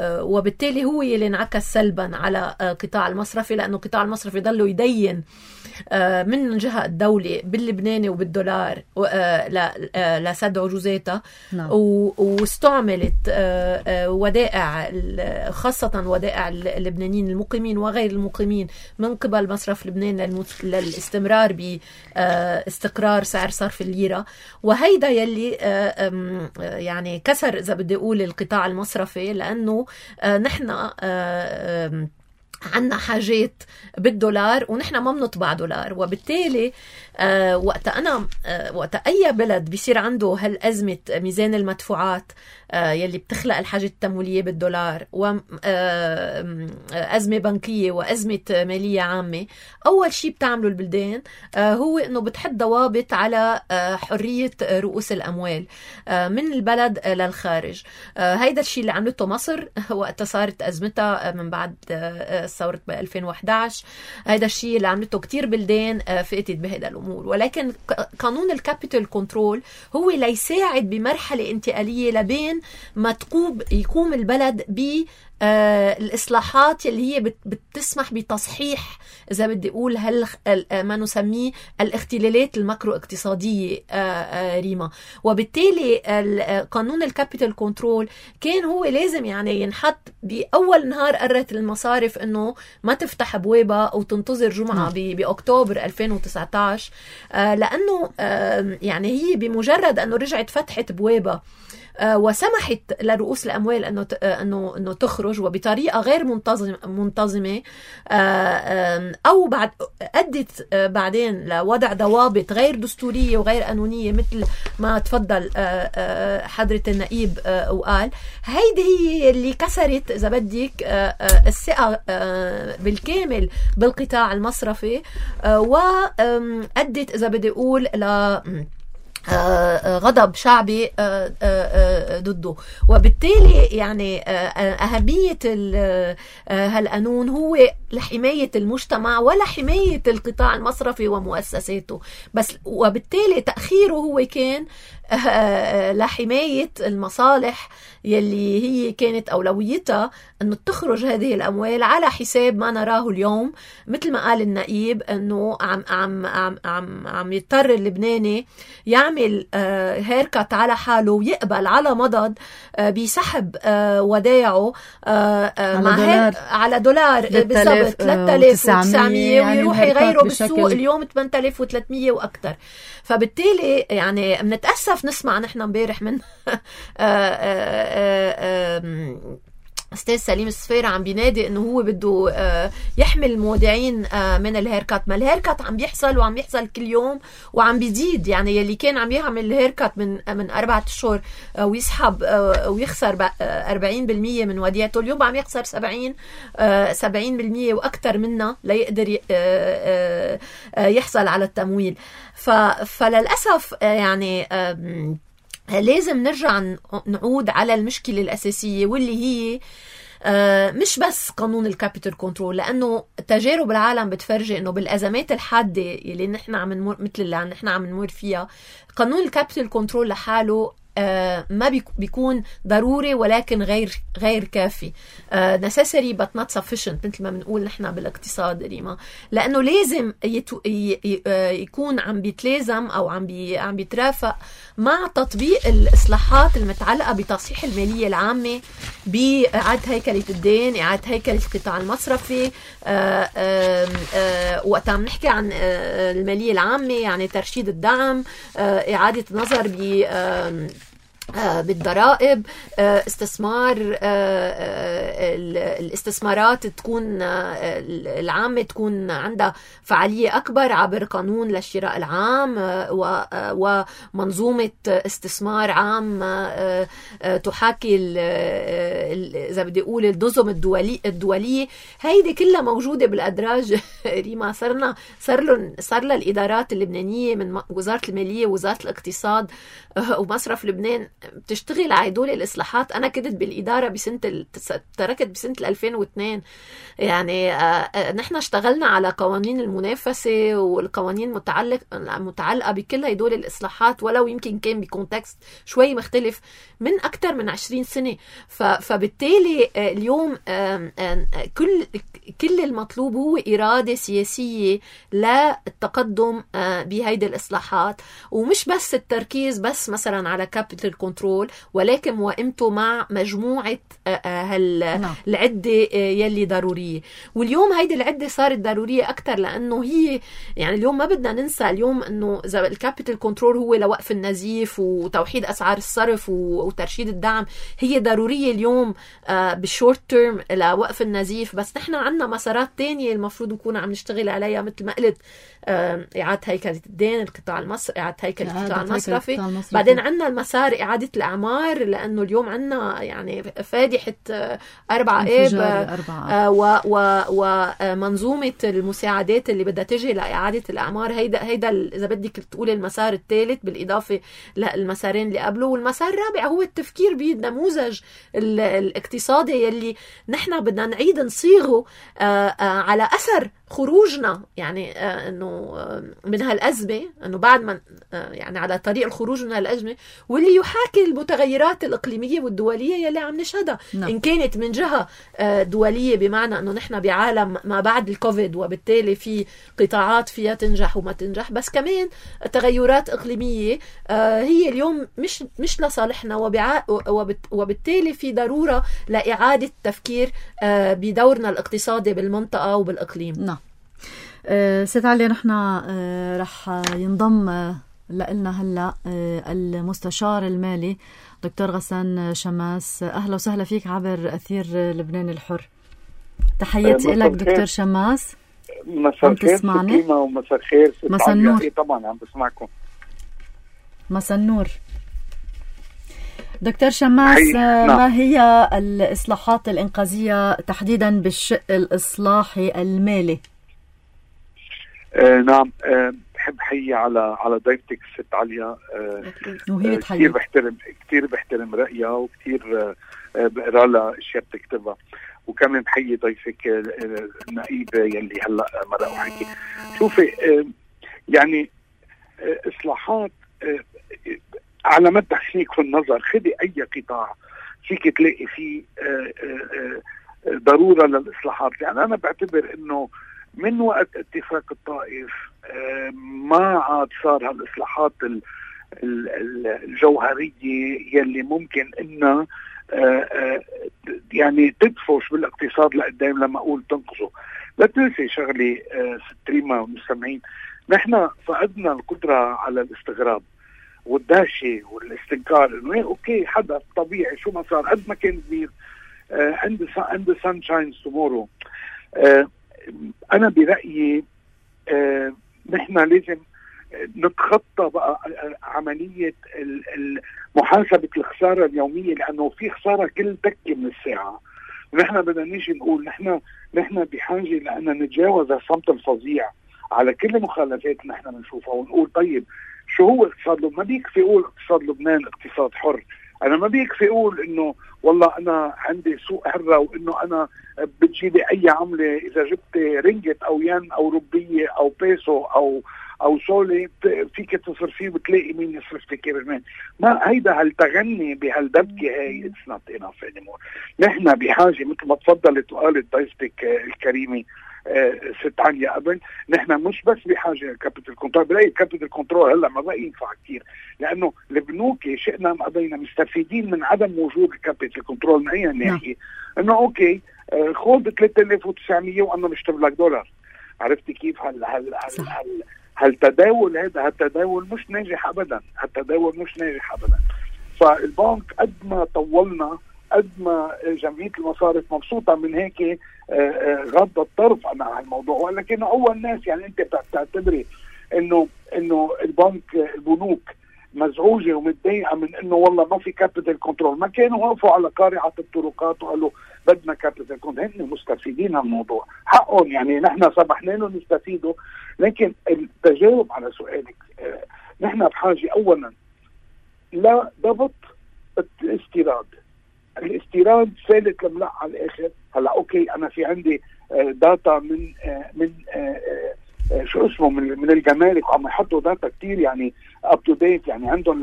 وبالتالي هو يلي انعكس سلبا على قطاع المصرفي، لأنه قطاع المصرفي ضلوا يدين من جهة الدولة باللبناني وبالدولار لسد عجوزاتها. واستعملت ودائع، خاصة ودائع اللبنانيين المقيمين وغير المقيمين من قبل مصرف لبنان للاستمرار باستقرار سعر صرف الليرة. وهيدا يلي يعني كسر إذا بدي أقول القطاع المصرفي، لأنه نحن عنا حاجات بالدولار ونحن ما بنطبع دولار. وبالتالي وقت أي بلد بيصير عنده هالأزمة ميزان المدفوعات يلي بتخلق الحاجة التمويلية بالدولار، وأزمة بنكية وأزمة مالية عامة، أول شيء بتعمله البلدان هو أنه بتحط ضوابط على حرية رؤوس الأموال من البلد للخارج. هيدا الشيء اللي عملته مصر وقت صارت أزمتها من بعد ثورة 2011. هيدا الشيء اللي عملته كتير بلدان فاتت بهذا الأمور. ولكن قانون الكابيتال كنترول هو ليساعد بمرحلة انتقالية لبين ما يقوم البلد الإصلاحات اللي هي بتسمح بتصحيح إذا بدي أقول ما نسميه الاختلالات الماكرو اقتصادية ريما. وبالتالي قانون الكابيتال كنترول كان هو لازم يعني ينحط بأول نهار قررت المصارف إنه ما تفتح بوابة أو تنتظر جمعة بأكتوبر 2019، لأنه يعني هي بمجرد أنه رجعت فتحت بوابة وسمحت لرؤوس الأموال أنه تخرج وبطريقة غير منتظمة، أو أدت بعدين لوضع ضوابط غير دستورية وغير قانونية مثل ما تفضل حضرة النائب وقال. هيدي هي اللي كسرت إذا بدك الثقة بالكامل بالقطاع المصرفي، وأدت إذا بدي أقول غضب شعبي ضده. وبالتالي يعني أهمية هالقانون هو لحماية المجتمع ولا حماية القطاع المصرفي ومؤسساته بس، وبالتالي تأخيره هو كان لحماية المصالح يلي هي كانت أولويتها أنه تخرج هذه الأموال على حساب ما نراه اليوم. مثل ما قال النائب أنه عم يضطر اللبناني يعمل هيركت على حاله ويقبل على مضض بسحب ودايعه على دولار بالضبط 3900 ويروح يغيره بالسوق اليوم 8300 وأكتر. فبالتالي يعني بنتأسف نسمع نحن امبارح من أستاذ سليم السفيرة عم بينادي إنه هو بده يحمي المودعين من الهيركات. ما الهيركات عم بيحصل وعم يحصل كل يوم وعم بيزيد. يعني يلي كان عم يعمل الهيركات من 4 أشهر ويسحب ويخسر 40% من وديعته، اليوم عم يخسر 70% وأكتر منها ليقدر يحصل على التمويل. فللأسف يعني لازم نرجع نعود على المشكلة الأساسية واللي هي مش بس قانون الكابيتال كنترول، لأنه تجارب العالم بتفرجي إنه بالأزمات الحادة اللي نحن عم نمر مثل اللي نحن عم نمر فيها، قانون الكابيتال كنترول لحاله ما بيكون ضروري ولكن غير كافي. necessary but not sufficient مثل ما بنقول نحن بالاقتصاد ريما، لأنه لازم يكون عم بيتلازم أو عم بيترافق مع تطبيق الإصلاحات المتعلقة بتصحيح المالية العامة، بإعادة هيكلة الدين، إعادة هيكلة القطاع المصرفي. وقت عم نحكي عن المالية العامة يعني ترشيد الدعم، إعادة النظر بالضرائب، استثمار، الاستثمارات تكون العامة تكون عندها فعالية أكبر عبر قانون للشراء العام ومنظومة استثمار عام تحاكي إذا بدي أقول النظم الدولية. هيدي كلها موجودة بالأدراج. ريما صار لها الإدارات اللبنانية من وزارة المالية ووزارة الاقتصاد ومصرف لبنان بتشتغل على هدول الإصلاحات. أنا كنت بالإدارة تركت بسنة 2002. يعني نحن اشتغلنا على قوانين المنافسة والقوانين المتعلقة بكل هدول الإصلاحات، ولو يمكن كان بكونتكست شوي مختلف من أكثر من 20 سنة. فبالتالي اليوم كل المطلوب هو إرادة سياسية للتقدم بهيدي الإصلاحات، ومش بس التركيز بس مثلا على كابيتال كنترول، ولكن موائمته مع مجموعة العدة يلي ضرورية. واليوم هيدي العدة صارت ضرورية أكتر، لأنه هي يعني اليوم ما بدنا ننسى اليوم أنه إذا الكابيتال كنترول هو لوقف النزيف وتوحيد أسعار الصرف وترشيد الدعم، هي ضرورية اليوم بالشورت تيرم لوقف النزيف. بس نحن عنا مسارات تانية المفروض نكون عم نشتغل عليها، مثل ما قلت إعادة هيكلة الدين، القطاع المصرفي، إعادة هيكلة القطاع المصرفي. بعدين عنا المسار إعادة الأعمار، لأنه اليوم عنا يعني فادحة 4 آب ومنظومة المساعدات اللي بدها تجي لإعادة الأعمار. هيدا إذا بدك تقول المسار الثالث بالإضافة للمسارين اللي قبله. والمسار الرابع هو التفكير بالنموذج الاقتصادي يلي نحن بدنا نعيد نصيغه على أثر خروجنا، يعني انه من هالأزمة، انه بعد ما يعني على طريق الخروج من هالأزمة، واللي يحاكي المتغيرات الإقليمية والدولية يلي عم نشهدها. إن كانت من جهة دولية بمعنى انه نحن بعالم ما بعد الكوفيد، وبالتالي في قطاعات فيها تنجح وما تنجح، بس كمان تغيرات إقليمية هي اليوم مش لصالحنا، وبالتالي في ضرورة لإعادة التفكير بدورنا الاقتصادي بالمنطقة وبالإقليم. نعم. سيد علي، نحن رح ينضم لنا هلا المستشار المالي دكتور غسان شماس. أهلا وسهلا فيك عبر أثير لبنان الحر. تحياتي لك دكتور شماس. مساء الخير سكينة ومساء الخير مساء النور. طبعا عم بسمعكم. مساء النور دكتور شماس. ما هي الإصلاحات الإنقاذية تحديدا بالشق الإصلاحي المالي؟ نعم، بحب حيي على ضيفتك ست عليا. كتير بحترم رأيها، وكتير بقرا لها اشياء بتكتبها، وكمان بحيي ضيفك النقيب يلي هلا مرق وحكي. شوفي، يعني اصلاحات على مدى حسيك في النظر، خدي اي قطاع فيك تلاقي فيه ضرورة للإصلاحات. يعني أنا بعتبر إنه من وقت اتفاق الطائف ما عاد صار هالإصلاحات الجوهرية يلي ممكن إنها يعني تدفش بالاقتصاد لقدام، لما أقول تنقصه. لا تنسي شغلي ست ريما والمستمعين، نحن فقدنا القدرة على الاستغراب والدهشة والاستنكار إنه أوكي حدث طبيعي، شو ما صار قد ما كان كبير، عند sunshine tomorrow. أنا برأيي نحن لازم نتخطى بقى عملية محاسبة الخسارة اليومية، لأنه في خسارة كل دكة من الساعة. ونحن بدنا نيجي نقول نحن بحاجة لأن نتجاوز الصمت الفظيع على كل المخالفات اللي نحن بنشوفها، ونقول طيب شو هو اقتصاد لبنان؟ ما بيكفي اقول اقتصاد لبنان اقتصاد حر. انا ما بيكفي اقول انه والله انا عندي سوق حره، وانه انا بتجيلي اي عمله، اذا جبت رينجت او ين او روبيه او بيسو او سولي فيك تصرفيه وبتلاقي مين يصرف لك كمان. ما هيدا هالتغني بهالدبكه هي اتس نوت انف انيمور. نحن بحاجه مثل ما تفضلت وقالت ضيفتك الكريمه ست عليا قبل، نحن مش بس بحاجه للكابيتال كنترول. بلاقي الكابيتال كنترول هلا ما بقى ينفع كثير، لانه البنوك شئنا ام ابينا مستفيدين من عدم وجود الكابيتال كنترول. من اي ناحيه؟ انه اوكي خذ 3900 وانا بشتري لك دولار. عرفتي كيف؟ هالتداول هذا، هالتداول مش ناجح ابدا، هالتداول مش ناجح ابدا. فالبنك قد ما طولنا قد ما جمعية المصارف مبسوطة من هيك غض الطرف عن هالموضوع. ولكن أول ناس يعني أنت بتعتبري إنه البنوك مزعوجة ومتضايقة من إنه والله ما في كابيتال كنترول؟ ما كانوا وقفوا على قارعة الطرقات وقالوا بدنا كابيتال كنترول. هن مستفيدين من الموضوع، حقهم يعني، نحن سمحنا لهم يستفيدوا. لكن التجاوب على سؤالك، نحن بحاجة أولا لا ضبط الاستيراد فالت لملح على الآخر. هلا أوكي، أنا في عندي داتا من شو اسمه من الجمارك، وعم يحطوا داتا كتير يعني اب تو ديت، يعني عندهم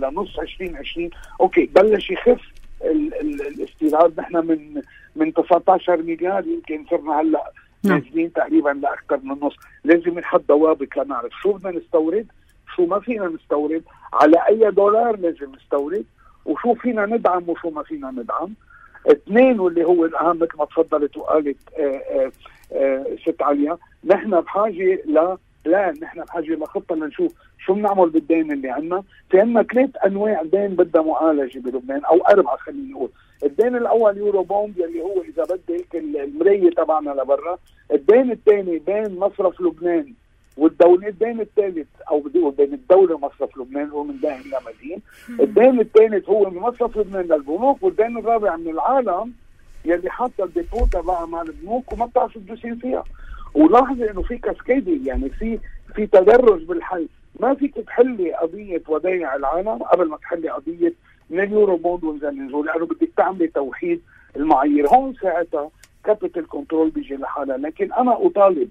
لنص 2020. اوكي، بلش يخف الاستيراد. نحن من 19 مليار يمكن صرنا هلا نازلين تقريبا لاكثر من النص. لازم نحط ضوابط لنعرف شو بدنا نستورد، شو ما فينا نستورد، على اي دولار لازم نستورد، وشو فينا ندعم وشو ما فينا ندعم. اثنين، واللي هو الاهم مثل ما تفضلت وقالت ست عليا، نحن بحاجه نحن بحاجه لخطه لنشوف شو بنعمل بالدين اللي عندنا. في عندنا 3 أنواع دين بدها معالجه بلبنان، او 4 خلينا نقول. الدين الاول يورو بوند، اللي هو اذا بدك المرايه تبعنا لبرا. الدين الثاني بين مصرف لبنان والدولة. الدين الثالث او بدي اقول بين الدولة ومصرف لبنان، هو من دائن لمدين. الدين الثالث هو من مصرف لبنان للبنوك. والدين الرابع من العالم يلي حاطه الديبو تبعها مع البنوك وما بتعرف تدوسين فيها. ولاحظي انه في كاسكيدي، يعني في تدرج بالحل. ما فيك تحلي قضيه ودايع العالم قبل ما تحلي قضيه من اليورو بوند والزنزول، لانه بدك تعملي توحيد المعايير. هون ساعتها كابيتال كنترول بيجي لحالها. لكن انا اطالب،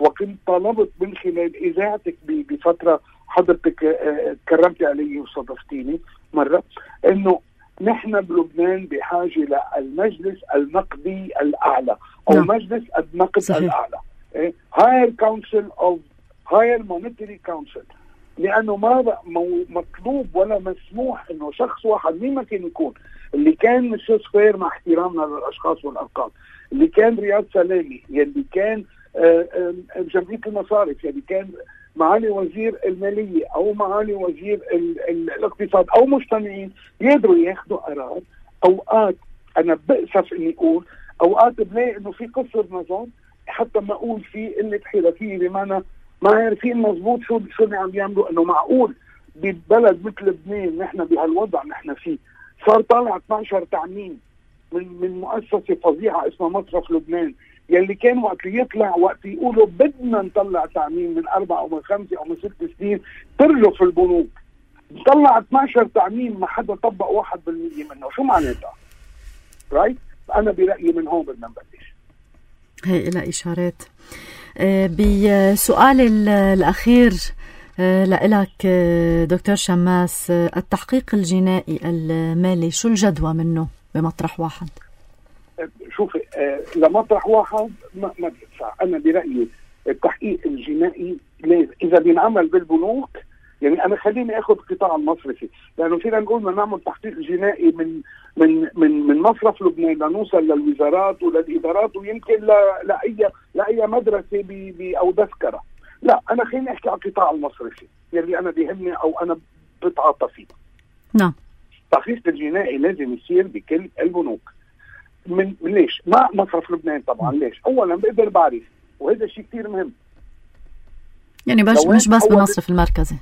وكنت طالبت من خلال اذاعتك بفتره حضرتك كرمتي علي واستضفتيني مره، انه نحن بلبنان بحاجه للمجلس النقدي الاعلى، او مجلس النقد الاعلى، هاير كونسل اوف هاير مونيتري كونسل. لانه ما مطلوب ولا مسموح انه شخص واحد، مين ما كان يكون، اللي كان مسيو سكوير مع احترامنا للاشخاص والارقام، اللي كان رياض سلامي، يلي كان جمعية المصارف، يلي كان معالي وزير المالية أو معالي وزير الاقتصاد أو مجتمعين، يقدروا ياخذوا قرار. أوقات أنا بأسف إني أقول، أوقات بلاقي إنه في قصر نظام، حتى ما أقول في قلة حرفية، بمعنى ما عارفين مضبوط شو اللي عم يعملوا. إنه معقول ببلد مثل لبنان نحن بهالوضع نحن فيه صار طالع 12 تعميم من مؤسسة فظيعة اسمها مصرف لبنان، يلي كان وقت يطلع وقت يقولوا بدنا نطلع تعميم من 4 أو من 5 أو من 6 سنين ترجف البنوك، طلع 12 تعميم ما حدا طبق 1% منه. شو معناتها؟ رايت؟ أنا برأيي من هون بدنا نبلش. هي إلى إشارات. بسؤال الأخير لإلك دكتور شماس، التحقيق الجنائي المالي شو الجدوى منه بمطرح واحد؟ شوفي، لمطرح واحد ما بيدفع. أنا برأيي التحقيق الجنائي إذا بينعمل بالبنوك، يعني أنا خليني أخذ القطاع المصرفي، لأنه فينا نقول بدنا نعمل تحقيق جنائي من مصرف لبنان لنوصل للوزارات وللإدارات، ويمكن لأي مدرسة أو تذكرة. لا، أنا خليني أحكي على القطاع المصرفي يلي أنا بيهمني أو أنا بتعاطى فيه. نعم. التحقيق الجنائي لازم يصير بكل البنوك. من ليش؟ ما مصرف لبنان طبعا. ليش؟ اولا بقدر بعرف، وهذا شيء كثير مهم، يعني مش بس بالمصرف المركزي.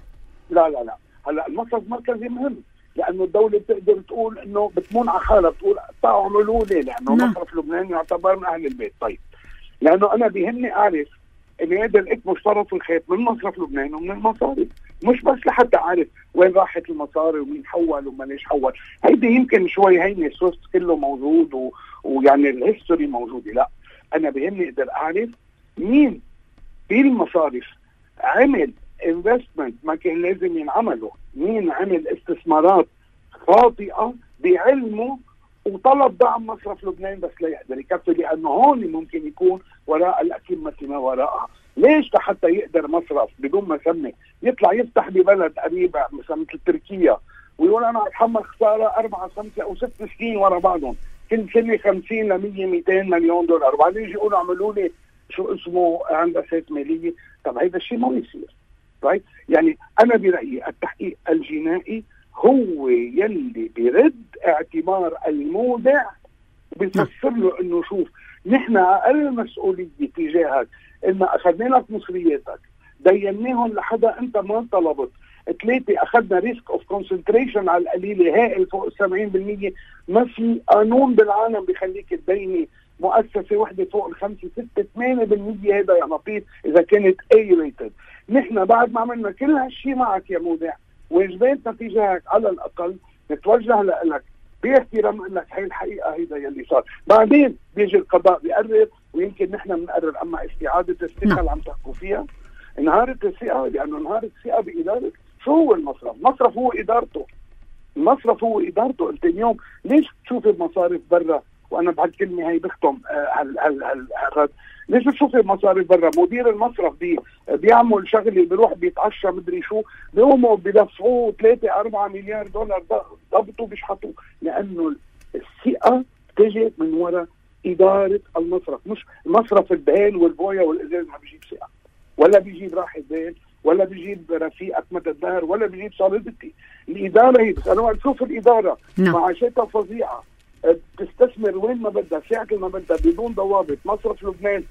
لا هلا المصرف المركزي مهم، لانه الدوله بتقدر تقول انه بتمون على حالها، بتقول تعالوا اعملوا لي، لانه مصرف لبنان يعتبر من اهل البيت. طيب، لانه انا بيهمني اعرف انه هذا الاسم مشترط في الخيط من مصرف لبنان ومن المصارف، مش بس لحتى اعرف وين راحت المصاري ومين حول وما ليش حول. هيدي يمكن شوي هيني السوست كله موجود ويعني الهيستوري موجوده. لا، انا بيهمني اقدر اعرف مين في المصارف عمل انفستمنت ما كان لازم ينعمله، مين عمل استثمارات خاطئه بعلمه وطلب دعم مصرف لبنان بس لا يقدر يكفي، لانه هون ممكن يكون وراء الأكمة ما وراءها. ليش؟ حتى يقدر مصرف بدون ما يسمي يطلع يفتح ببلد قريبة مثل تركيا ويقول انا اتحمل خساره 4 5 أو 6 سنين ورا بعضهم، كل سنه 50 ل 100 200 مليون دولار، وبعدين يجي يقولوا اعملوا لي شو اسمه هندسات ماليه. طب هيدا الشيء ما بيصير. رايت؟ يعني انا برايي التحقيق الجنائي هو يلي بيرد اعتبار المودع، بيفسر له انه شوف نحن اقل مسؤوليه تجاهك، ان اخذنا لك مصرياتك ديناهم لحدا انت ما طلبت، 3 اخذنا ريسك اوف كونسنتريشن على القليله هائل فوق 70%. ما في قانون بالعالم بيخليك تديني مؤسسه وحده فوق 5 6 8% هذا يا لطيف اذا كانت اي ريتد. نحن بعد ما عملنا كل هالشيء معك يا مودع، واجباتنا تجاهك على الاقل نتوجه لك باحترام لك هي الحقيقه، هيدا يلي صار. بعدين بيجي القضاء بيقرر، ويمكن نحن بنقرر. اما استعاده الثقه اللي عم تحكوا فيها، انهارت الثقه، لانه انهارت الثقه باداره. شو هو المصرف؟ المصرف هو ادارته. المصرف هو ادارته. انت اليوم ليش تشوف المصارف برا؟ وانا بهالكلمه هي بختم هالرد. ليش تشوف المصارف برا؟ مدير المصرف بيعمل شغله، بيروح بيتعشى مدري شو، بيقوموا بيدفعوه 3-4 مليار دولار ضبطوا بيشحطوا، لانه الثقه تجي من وراء اداره المصرف. مش المصرف البهال والبويه والازاز ما بيجيب ثقه، ولا بيجيب راحه بال، ولا بيجيب رفيقك مدى الدهر، ولا بيجيب صالدتي. الاداره هي بس. انا وقت اشوف الاداره معاشاتها فظيعه، تستثمر وين ما بدها، ساعة ما بدها، بدون ضوابط. مصرف لبنان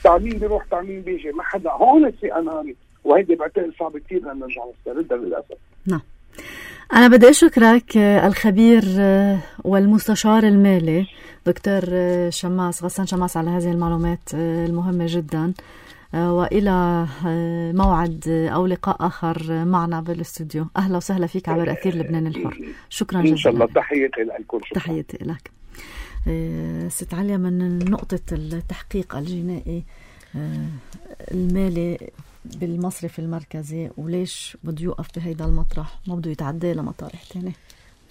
تعمين بيروح تعمين بيجي، ما حدا. هون الثقه انهارت، وهيدي بعتقد صعب كثير ان نرجع نستردها للاسف. نعم. أنا بدي أشكرك الخبير والمستشار المالي دكتور شماس، غسان شماس، على هذه المعلومات المهمة جدا، وإلى موعد أو لقاء آخر معنا بالاستوديو. أهلا وسهلا فيك عبر أثير لبنان الحر. شكرا جزيلا. إن شاء الله. تحياتي لكم. تحياتي لك. ست عليا، من نقطة التحقيق الجنائي المالي بالمصرف المركزي، وليش بده يوقف بهيدا المطرح، ما بده يتعدى لمطارح تاني؟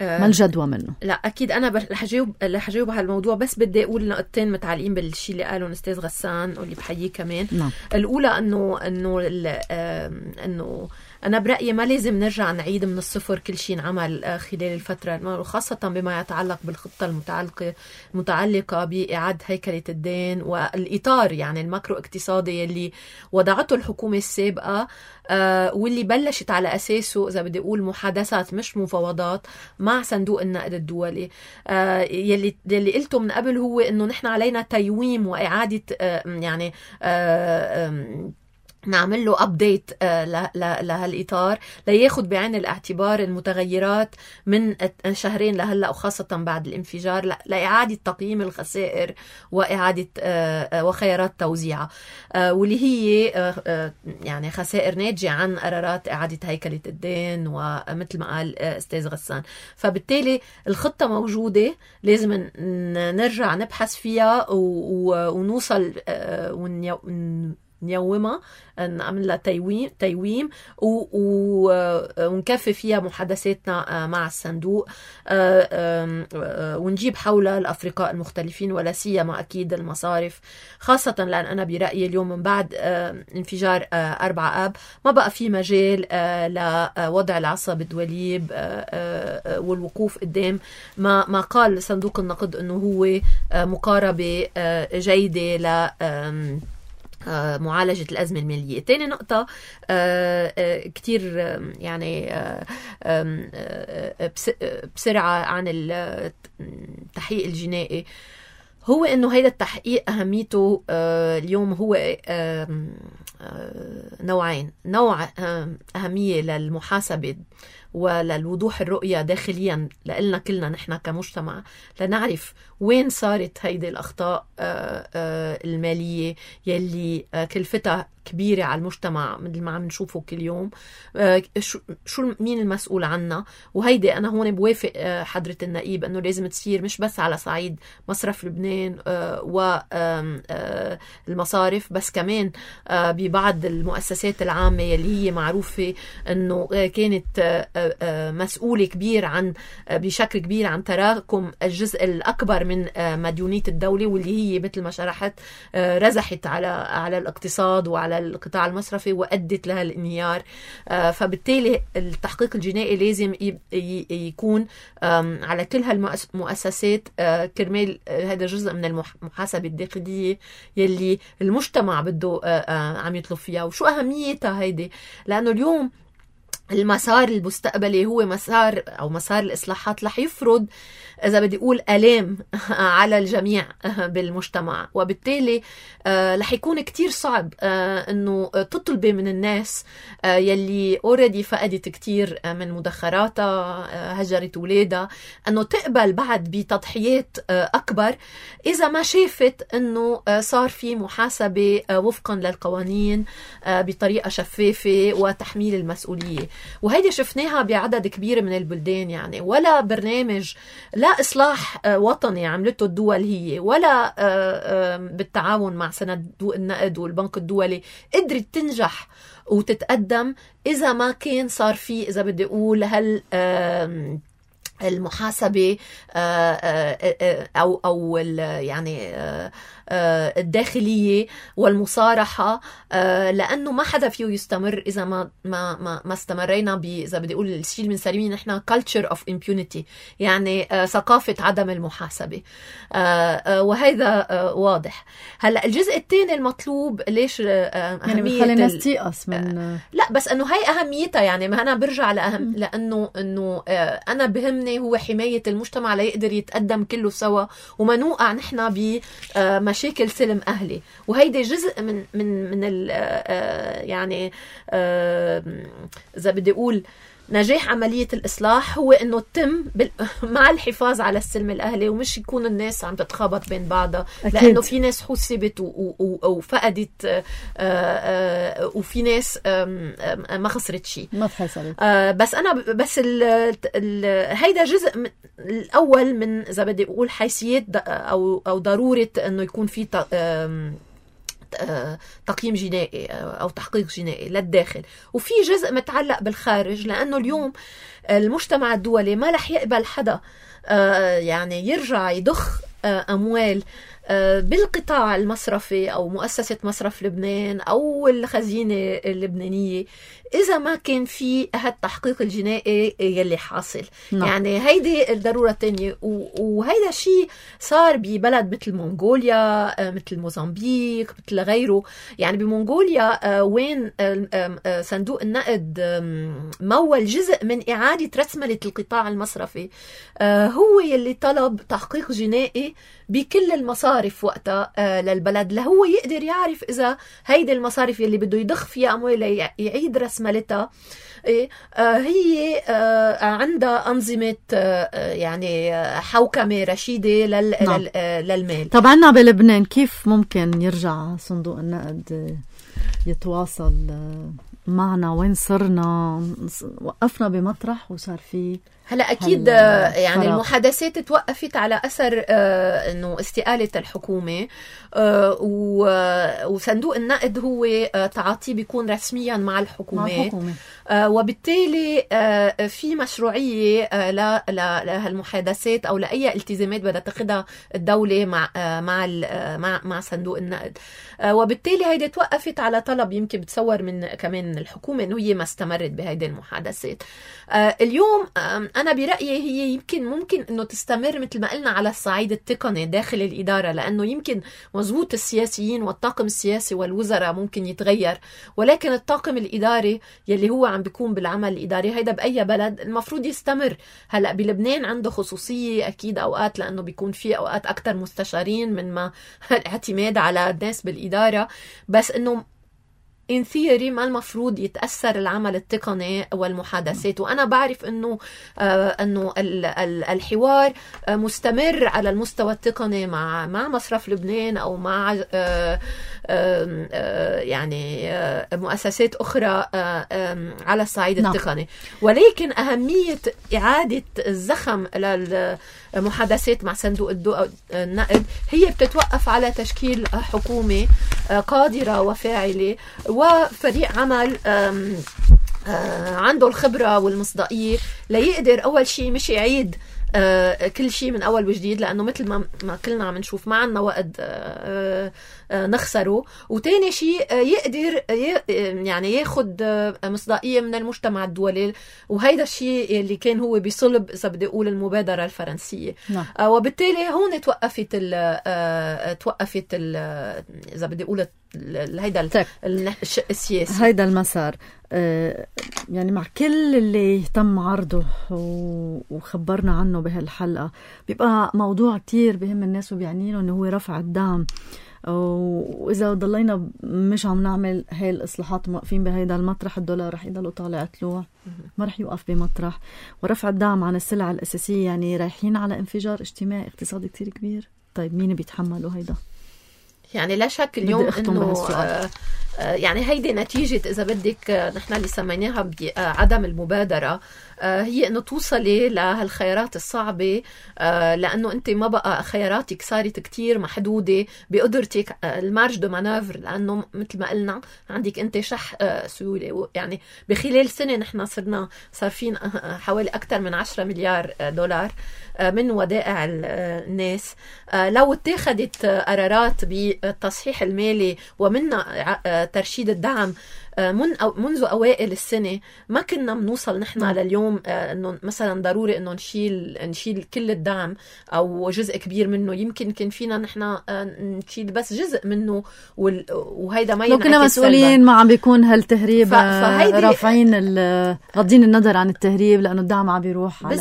ما الجدوى منه؟ لا اكيد انا رح اجاوب على الموضوع، بس بدي اقول نقطتين متعلقين بالشيء اللي قاله الاستاذ غسان واللي بحييه كمان. نعم. الاولى انه أنا برأيي ما لازم نرجع نعيد من الصفر كل شيء نعمل خلال الفترة، خاصة بما يتعلق بالخطة المتعلقة بإعادة هيكلة الدين والإطار يعني الماكرو اقتصادي اللي وضعته الحكومة السابقة، واللي بلشت على أساسه إذا بدي أقول محادثات مش مفاوضات مع صندوق النقد الدولي. يلي قلته من قبل هو إنه نحن علينا تيويم وإعادة يعني نعمل له أبديت لهالإطار لياخد بعين الاعتبار المتغيرات من شهرين لهلأ، وخاصة بعد الانفجار، لإعادة تقييم الخسائر وإعادة وخيارات توزيعها، واللي هي يعني خسائر ناتجة عن قرارات إعادة هيكلة الدين، ومثل ما قال أستاذ غسان. فبالتالي الخطة موجودة، لازم نرجع نبحث فيها ونوصل نيومها، نعمل لها تيويم ونكفي فيها محادثاتنا مع الصندوق، ونجيب حولها الأفرقاء المختلفين، ولا سيما أكيد المصارف، خاصة لأن أنا برأيي اليوم من بعد انفجار 4 آب ما بقى في مجال لوضع العصا بالدوليب والوقوف قدام ما قال صندوق النقد أنه هو مقاربة جيدة ل معالجة الأزمة المالية. تاني نقطة كتير يعني بسرعة عن التحقيق الجنائي، هو إنه هيدا التحقيق أهميته اليوم هو نوعين. نوع أهمية للمحاسبة وللوضوح الرؤية داخليا لنا كلنا نحن كمجتمع، لنعرف وين صارت هيدي الأخطاء المالية يلي كلفتها كبيرة على المجتمع مثل ما عم نشوفه كل يوم، شو مين المسؤول عنها. وهيدي أنا هون بوافق حضرة النقيب أنه لازم تصير مش بس على صعيد مصرف لبنان والمصارف، بس كمان ببعض المؤسسات العامة يلي هي معروفة أنه كانت مسؤولة كبير عن بشكل كبير عن تراكم الجزء الأكبر من مديونية الدولة، واللي هي مثل ما شرحت رزحت على الاقتصاد وعلى القطاع المصرفي وأدت لها الانهيار. فبالتالي التحقيق الجنائي لازم يكون على كل هالمؤسسات كرمال هذا جزء من المحاسبة الداخلية يلي المجتمع بده عم يطلب فيها. وشو أهميتها هيدي؟ لأنه اليوم المسار المستقبلي هو مسار الإصلاحات رح يفرض إذا بدي أقول آلام على الجميع بالمجتمع، وبالتالي رح يكون كتير صعب إنه تطلبي من الناس يلي already فقدت كتير من مدخراتها، هجرت ولادها، إنه تقبل بعد بتضحيات أكبر إذا ما شافت إنه صار في محاسبة وفقا للقوانين بطريقة شفافة وتحميل المسؤولية. وهيدي شفناها بعدد كبير من البلدان، يعني ولا برنامج لا إصلاح وطني عملته الدول هي ولا بالتعاون مع صندوق النقد والبنك الدولي قدرت تنجح وتتقدم إذا ما كان صار في إذا بدي أقول المحاسبة أو يعني الداخلية والمصارحة، لأنه ما حدا فيه يستمر إذا ما استمرينا إذا بدي أقول الشيء اللي بنسميه نحن culture of impunity، يعني ثقافة عدم المحاسبة، وهذا واضح. هلأ الجزء الثاني المطلوب ليش يعني بخلي الناس تيأس من لا بس أنه هاي أهميتها، يعني ما أنا برجع لأنه أنا بهمني هو حماية المجتمع ليقدر يتقدم كله سوا وما نوقع نحن بمشاكل سلم أهلي. وهيدا جزء من يعني إذا بدي أقول نجاح عملية الإصلاح هو إنه تتم مع الحفاظ على السلم الأهلي، ومش يكون الناس عم تتخابط بين بعضها، لأنه في ناس حسبت وفقدت وفي ناس ما خسرت شيء، ما تحسبت. بس هيدا جزء الأول من إذا بدي أقول حيثيات أو ضرورة إنه يكون في تقييم جنائي أو تحقيق جنائي للداخل، وفي جزء متعلق بالخارج، لأنه اليوم المجتمع الدولي ما رح يقبل حدا يعني يرجع يضخ أموال بالقطاع المصرفي أو مؤسسة مصرف لبنان أو الخزينة اللبنانية إذا ما كان في هالتحقيق الجنائي يلي حاصل. يعني هيدي الضرورة الثانية، وهيدا الشيء صار ببلد مثل منغوليا، مثل موزمبيق، مثل غيره. يعني بمنغوليا وين صندوق النقد مول جزء من إعادة رسملة القطاع المصرفي، هو يلي طلب تحقيق جنائي بكل المصارف وقتها للبلد، لهو يقدر يعرف إذا هيدي المصارف يلي بده يضخ فيها أموال يعيد رسملتها هي عندها أنظمة يعني حوكمة رشيدة للمال. طبعا عنا بلبنان كيف ممكن يرجع صندوق النقد يتواصل معنا؟ وين صرنا؟ وقفنا بمطرح وصار في هلا اكيد يعني المحادثات توقفت على اثر انه استقاله الحكومه، وصندوق النقد هو تعاطيه بيكون رسميا مع الحكومات، وبالتالي في مشروعيه لهالمحادثات او لاي التزامات بدها تاخذها الدوله مع صندوق النقد. وبالتالي هيدي توقفت على طلب يمكن بتصور من كمان الحكومه انه هي ما استمرت بهيدي المحادثات. اليوم أنا برأيي هي ممكن إنه تستمر مثل ما قلنا على الصعيد التقني داخل الإدارة، لأنه يمكن مزبوط السياسيين والطاقم السياسي والوزراء ممكن يتغير، ولكن الطاقم الإداري يلي هو عم بيكون بالعمل الإداري هيدا بأي بلد المفروض يستمر. هلأ بلبنان عنده خصوصية أكيد أوقات، لأنه بيكون في أوقات أكتر مستشارين من ما الاعتماد على الناس بالإدارة، بس إنه in theory ما المفروض يتأثر العمل التقني والمحادثات. وأنا بعرف إنه الحوار مستمر على المستوى التقني مع مصرف لبنان أو مع يعني مؤسسات أخرى على الصعيد التقني، ولكن أهمية إعادة الزخم للمحادثات مع صندوق النقد هي بتتوقف على تشكيل حكومة قادرة وفاعلة وفريق عمل عنده الخبرة والمصداقية ليقدر أول شيء مش يعيد كل شيء من أول وجديد، لأنه مثل ما كلنا عم نشوف ما عنا وقت نخسره، وتاني شيء يقدر يعني ياخد مصداقية من المجتمع الدولي، وهيدا الشيء اللي كان هو بصلب إذا بدي أقول المبادرة الفرنسية. وبالتالي هون توقفت إذا بدي أقول هيدا الشق السياسي، هيدا المسار. يعني مع كل اللي تم عرضه وخبرنا عنه بهالحلقة، بيبقى موضوع كتير بهم الناس وبيعنينه انه هو رفع الدعم. وإذا ضلينا مش عم نعمل هاي الإصلاحات موقفين بهيدا المطرح، الدولار رح يضل طالع طلوع، ما رح يوقف بمطرح. ورفع الدعم عن السلع الأساسية يعني رايحين على انفجار اجتماعي اقتصادي كتير كبير. طيب مين بيتحملوا هيدا؟ يعني لا شك اليوم انه يعني هيدي نتيجة إذا بدك نحن اللي سميناها بعدم المبادرة، هي انه توصلي لهالخيارات الصعبة، لانه انت ما بقى خياراتك صارت كتير محدودة بقدرتك المارج دو مانوفر، لانه مثل ما قلنا عندك انت شح سيولة. يعني بخلال سنة نحن صارفين حوالي اكثر من 10 مليار دولار من ودائع الناس. لو اتخذت قرارات بالتصحيح المالي ومنها ترشيد الدعم منذ أوائل السنة، ما كنا بنوصل نحن لليوم إنه مثلا ضروري إنه نشيل كل الدعم أو جزء كبير منه. يمكن كان فينا نحن نشيل بس جزء منه، وهيدا ما ينعكس. لو كنا مسؤولين ما عم بيكون هالتهريب رافعين غضين النظر عن التهريب، لأنه الدعم عم بيروح على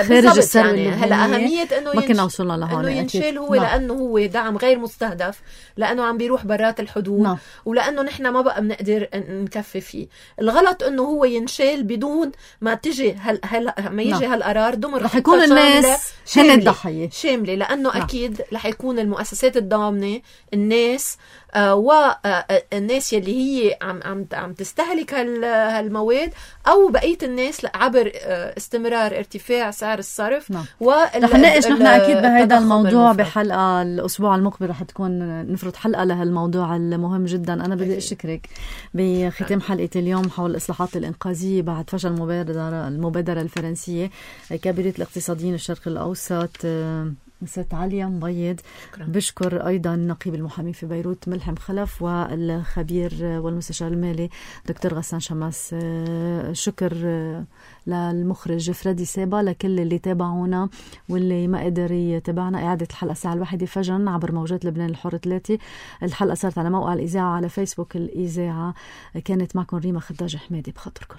خارج الثروة اللبنانية. هلا أهمية إنه ما كنا وصلنا لهون إنه ينشيل هو لأنه هو دعم غير مستهدف، لأنه عم بيروح برات الحدود، ولأنه نحن ما بقى بنقدر نكفي فيه. الغلط انه هو ينشال بدون ما تجي ما يجي هالقرار دمر رح يكون الناس هن الضحية شاملة، لانه اكيد رح يكون المؤسسات الضامنة، الناس والناس يلي هي عم تستهلك هالمواد، او بقية الناس عبر استمرار ارتفاع سعر الصرف. رح نناقش نحن اكيد بهذا الموضوع بحلقة الاسبوع المقبل، رح تكون نفرض حلقة لهالموضوع المهم جدا. انا بدي اشكرك بختام حلقة اليوم حول الإصلاحات الإنقاذية بعد فشل المبادرة الفرنسية. كبيرة الاقتصاديين الشرق الأوسط ست عليا مبيض. بشكر أيضا نقيب المحامي في بيروت ملحم خلف، والخبير والمستشار المالي دكتور غسان شماس. شكر للمخرج فريدي سيبا. لكل اللي تابعونا واللي ما قدر يتابعنا، إعادة الحلقة الساعة 1 فجرا عبر موجات لبنان الحر 3. الحلقة صارت على موقع الإذاعة على فيسبوك الإذاعة. كانت معكم ريما خداج حمادي. بخاطركم.